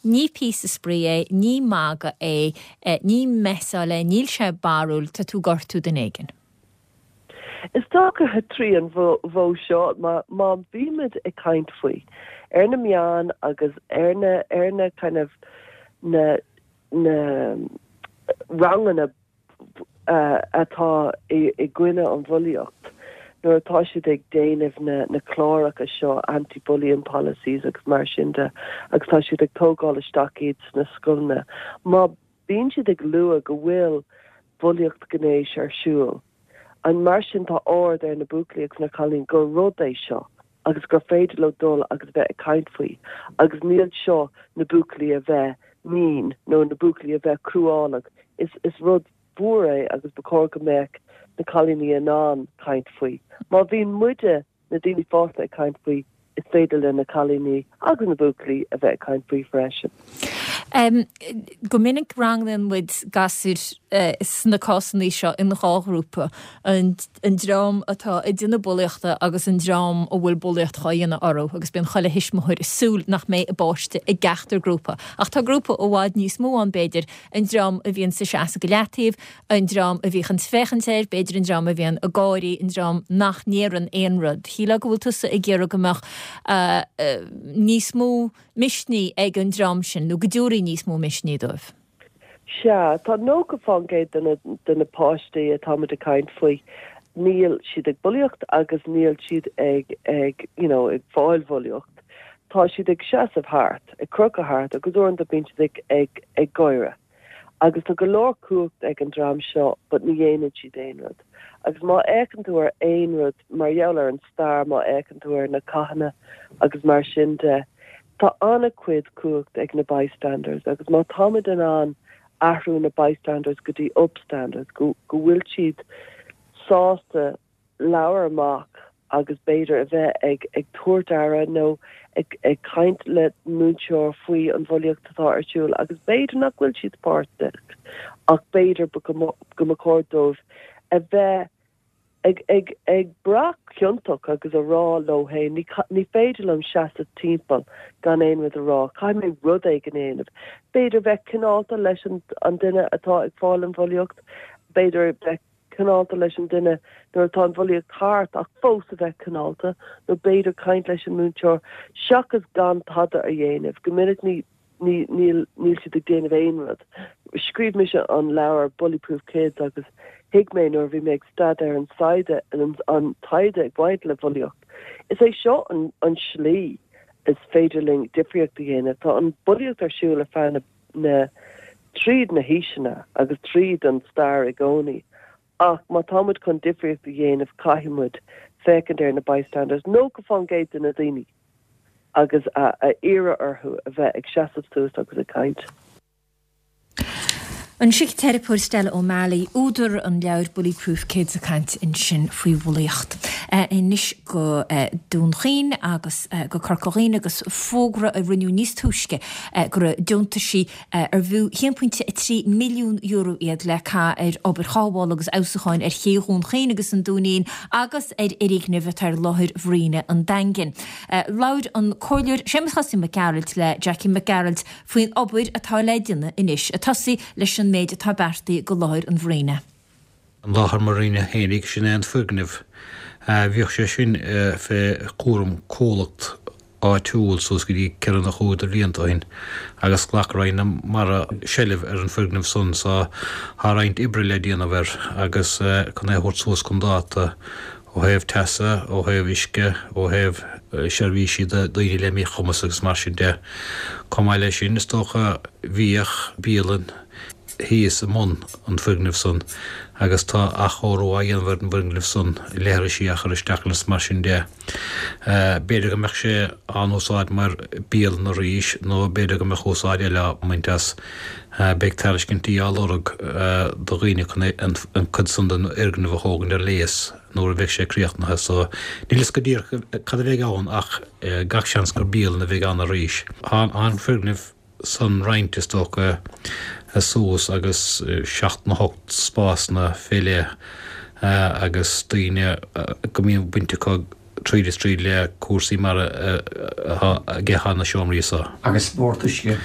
ní píosa spraoi é, ní magadh é, ní messáil é, níl sé barrúil, tá tú ag gortú duine éigin? Is dócha trí an mhodh seo, má bhímid ag caint faoi, ar na meáin agus ar na, ar na kind of, na, na ranganna atá i gcoinne an bhulaíocht, nuair atá siad ag déanamh na, na cláracha seo, anti-bullying policies agus mar sin de, agus tá siad ag tógáil isteach iad sna scoileanna, má bíonn siad ag lua go bhfuil bulaíocht gnéis ar siúl and mar sin tá aird ar na buachaillí agus na cailíní gur rud é seo agus gur féidir leo dul agus bheith ag caint faoi agus níl seo na buachaillí a bheith mean nó na buachaillí a bheith cruálach is is rud mhór é agus ba chóir go mbeadh na cailíní in ann caint faoi. Má bhíonn muide na daoine fásta ag caint faoi, is féidir le na cailíní agus na buachaillí a bheith ag caint faoi freisin. Go minic rangnaíonn muid gasúir sna cásanna seo in dhá ghrúpa, an dream atá ag déanamh bulaíochta agus an dream a bhfuil bulaíocht dhá dhéanamh orthu agus bíonn chuile thuismitheoir ag súil nach mbeidh a bpáiste i gceachtar grúpa. Ach tá grúpa i bhfad níos mó ann b'fhéidir, an dream a bhíonn sa seasamh go leataobh, an dream a bhíonn ag féachaint air, b'fhéidir an dream a bhíonn ag gáirí, an dream nach ndéarann aon rud. Shílfeá go bhfuil tusa ag iarraidh go mbeadh níos mó misnigh ag an dream sin, nó go dtabharfaí níos mó misnigh dóibh. Sea, tá 90% de na, de na páistí atáimid ag caint faoi, níl siad ag bulaíocht agus níl siad ag, ag, you know, ag fáil bhulaíocht. Tá siad ag seasamh thart, ag crochadh thart agus uaireanta bíonn siad ag, ag, ag gáire. Agus tá go leor cumhacht ag an dream seo but ní dhéanann siad aon rud. Agus má fhéachann tú ar aon rud mar gheall ar an stair, má fhéachann tú ar na cathanna agus mar sin de, tá an-chuid cumhacht ag na bystanders agus má táimid in ann athrú na bystanders go dtí upstanders, go go bhfuil siad sásta labhair amach agus b'fhéidir a bheith ag ag tabhairt aire nó ag ag caint le múinteoir faoi an bhulaíocht atá ar siúl agus b'fhéidir nach bhfuil siad páirteach ach b'fhéidir go go mba chóir dóibh a bheith ag ag ag brath ciontach agus a rá leo féin ní ní féidir liom seasamh timpeall gan aon rud a rá, caithfidh mé rud éigin a dhéanamh. B'fhéidir bheith cineálta leis an an duine atá ag fáil an bhulaíocht, b'fhéidir bheith cineálta leis an duine nuair atá an bhulaíocht thart ach fós a bheith cineálta nó b'fhéidir caint leis an múinteoir seachas gan tada a dhéanamh. Go minic ní ní níl níl siad ag déanamh aon rud. Scríobh mise an leabhar Bully Proof Kids agus thuig mé nuair a bhí mé ag staidéar an saighde an an taighde ag baint le bhulaíocht. Is é seo an an slí is féidir linn difríocht a dhéanamh. Tá an bulaíocht ar siúl ar feadh na na tríd na haoiseanna agus tríd an stair i gcónaí ach má tá muid chun difríocht a dhéanamh caithfidh muid féachaint ar na bystanders, 90% de na daoine, agus a a iarraidh orthu a bheith ag seasamh suas agus ag caint. An síciteiripeoir Stella O'Malley, údar an leabhair Bully Proof Kids ag caint ansin faoi bhulaíocht. Anois go Dún Chaoin agus go Corca Dhuibhne agus fógra a rinneadh níos túisce go raibh deontaisí ar bhfiú €1.3 milliún iad le caitheamh ar obair chothabhála agus fheabhsúcháin ar ché Dhún Chaoin agus an Dúinín agus ar fhoirgneamh atá ar láthair Mhairíne an Daingin. Labhair an Comhairleoir Séamus Chosaí Mac Gearailt le Jackie Mac Gearailt faoin obair atá le déanamh anois, ag tosaí leis an méid atá beartaithe do láthair an mhairíne. An láthair mhairíne fhéinig, sin é an foirgneamh. Bhíodh sé sin fé chúram comhlacht áitiúil suas go dtí ceithre nó chúig de bhlianta ó shin agus ghlac Roinn na Mara seilbh ar an foirgneamh san so tá roinnt oibre le déanamh air agus chun é a thabhairt suas chun dáta ó thaobh teasa, ó thaobh uisce, ó thaobh seirbhísí do dhaoine le míchumas agus mar sin de. Chomh maith leis sin, is dócha, bhíodh bialann thíos i mbun an foirgnimh san agus tá athchóiriú á dhéanamh ar an bhfoirgneamh san, leithrisí á chur isteach ann is mar sin de. B'fhéidir go mbeadh sé á n-úsáid mar bialann arís nó b'fhéidir go mbeadh úsáid eile á mbaint as. Beidh tairiscintí á lorg do dhaoine chun an cuid san den fhoirgneamh a thógaint ar léas nuair a bheidh sé críochnaithe so níl fhios go díreach cad a bheidh ann ach gach seans gur bialann a bheidh ann arís. Tá an foirgneamh san roinnte is dócha suas agus seacht nó hocht spásanna fé leith agus daoine go mbíonn baint acu tríd is tríd le cúrsaí mara aige tá na seomraí so. Agus spórt uisce.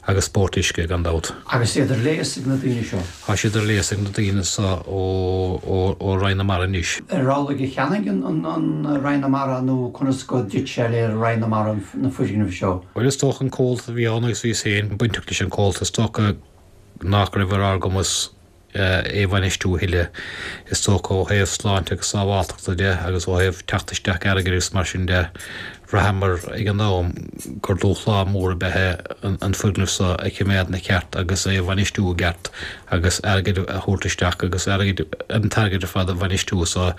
Agus spórt uisce, gan dabht. Agus iad ar léas ag na daoine seo. Tá siad ar léas ag na daoine so ó Roinn na Mara anois. Ar amhlaidh a cheannaigh an Roinn na Mara nó conas go dtit sé le Roinn na Mara na foirgnimh seo? Bhuel is dócha an comhlacht a bhí ann agus bhíos féin bainteach leis an comhlacht is dócha nach raibh ar ár gcumas é a bhainistiú a thuilleadh, is dócha, ó thaobh sláinte agus sábháltachta de agus ó thaobh teacht isteach airgid agus mar sin de. Bhraitheamar ag an am gur dúshlán mór ab ea é an foirgneamh seo a choimeád ina cheart agus é a bhainistiú i gceart agus airgead a thabhairt isteach agus airgead, an t-airgead ar fad a bhainistiú. So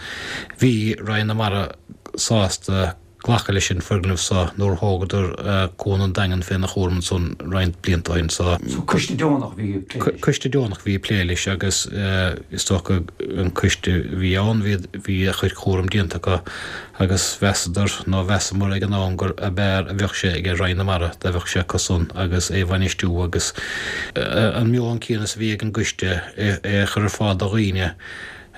bhí Roinn na Mara sásta. Glacadh leis an foirgneamh so nuair a thógadar Cuan an Daingin féna chúram ansan roinnt blianta ó shin. So. So coiste deonach a bhí ag plé leis? Coiste deonach a bhí ag plé leis agus is dócha an coiste a bhí ann bhí bhí a chuid cúram déanta acu agus mheasadar nó mheasamar ag an am gur ab fhearr a bheadh sé ag Roinn na Mara dá bheadh sé acu san agus é a bhainistiú agus an meon céanna is a bhí ag an gcoiste é a chur ar fáil do dhaoine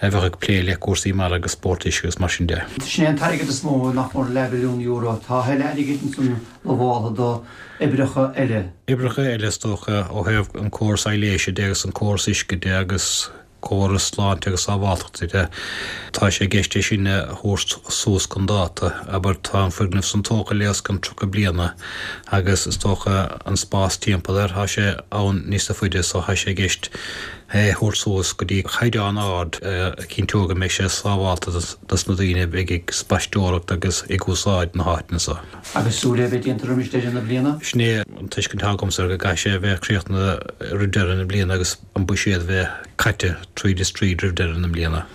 a bheadh ag plé le cúrsaí mara agus spórt uisce agus mar sin de. Sin é an t-airgead is mó, nach mór leathmhilliún euro. Tá a thuilleadh airgid ansan lamháltha do oibreacha eile. Oibreacha eile is dócha ó thaobh an córas aibhléise de agus an córas uisce de agus córas sláinte agus sábháltachta de. Tá sé i gceist é sin a thabhairt suas chun dáta. Abair tá an foirgneamh san tógtha le os cionn 30 bliana agus is dócha an spás timpeall air tá sé ann níosa faide so tá sé i gceist é a thabhairt suas go dtí caighdeán ard a chinnteoidh go mbeidh sé sábhálta dos na daoine a bheidh ag spaisteoireacht agus ag úsáid na háiteanna so. Agus súil é a bheith déanta roimis deireadh na bliana? Sin é an tuiscint atá agamsa air, go gcaithfidh sé a bheith críochnaithe roimh deireadh na bliana agus an buiséad a bheith caite tríd is tríd roimh deireadh na bliana.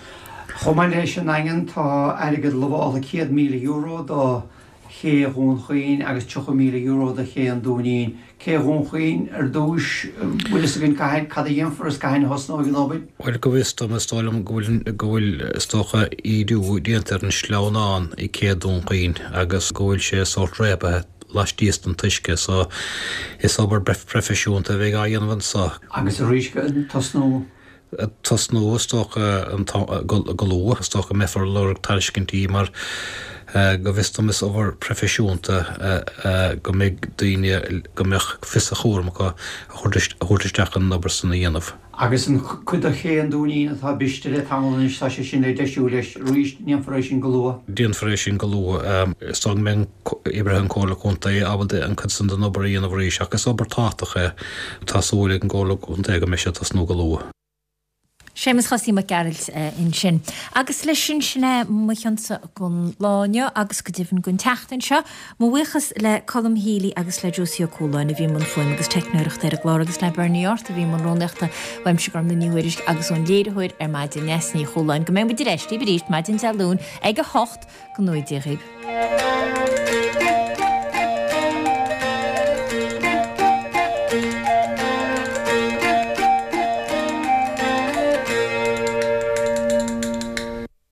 Chomh maith leis an nDaingean, tá airgead lamháltha €100,000 do Ché Dhún Chaoin agus €30,000 do Ché an Dúinín. Cé Dhún Chaoin ar dtúis, bhfuil fhios againn cathain, cad a dhéanfar is cathain a thosnóidh an obair? Bhuel, go bhfios dom, is dóigh liom go bhfuil, go bhfuil, is dócha, ídiú déanta ar an sleamhnán i gCé Dún Chaoin agus go bhfuil sé sórt réabtha laistíos den t-uisce so is obair proifisiúnta a bheidh á dhéanamh anso. Agus arís, tosnú? tosnú, is dócha, go luath. Is dócha go mbeifear ag lorg tairiscintí mar go bhfios dom is obair proifisiúnta go mbeidh daoine, go mbeadh fios a chúram acu a thabhairt isteach chun an obair san a dhéanamh. Agus an cuid de Ché an Dúinín atá briste le tamall anois, tá sé sin le deisiú leis arís, ndéanfar é sin go luath? Déanfar é sin go luath. Is dóigh go mbeidh oibrithe an Chomhairle Contae ábalta an cuid san den obair a dhéanamh arís ach is obair tábhachtach é. Tá súil ag an gComhairle Contae go mbeidh sé ag tosnú go luath. Séamus Chosaí Mac Gearailt ansin. Agus leis sin, sin é mo chionsa don lá inniu agus go deimhin don tseachtain seo. Mo bhuíochas le Colm Healy agus le Josie Ó Cualáin a bhí i mbun fuaime agus teicneoireachta ar an gclár agus le Bernie Arthur a bhí i mbun rúnaíochta uaimse Gormfhlaith Ní Thuairisg agus ón léiritheoir ar maidin Neasa Ní Chualáin. Go mbeidh muid ar ais libh arís maidin Dé Luain ag 8. Go ngnóthaí Dia dhaoibh.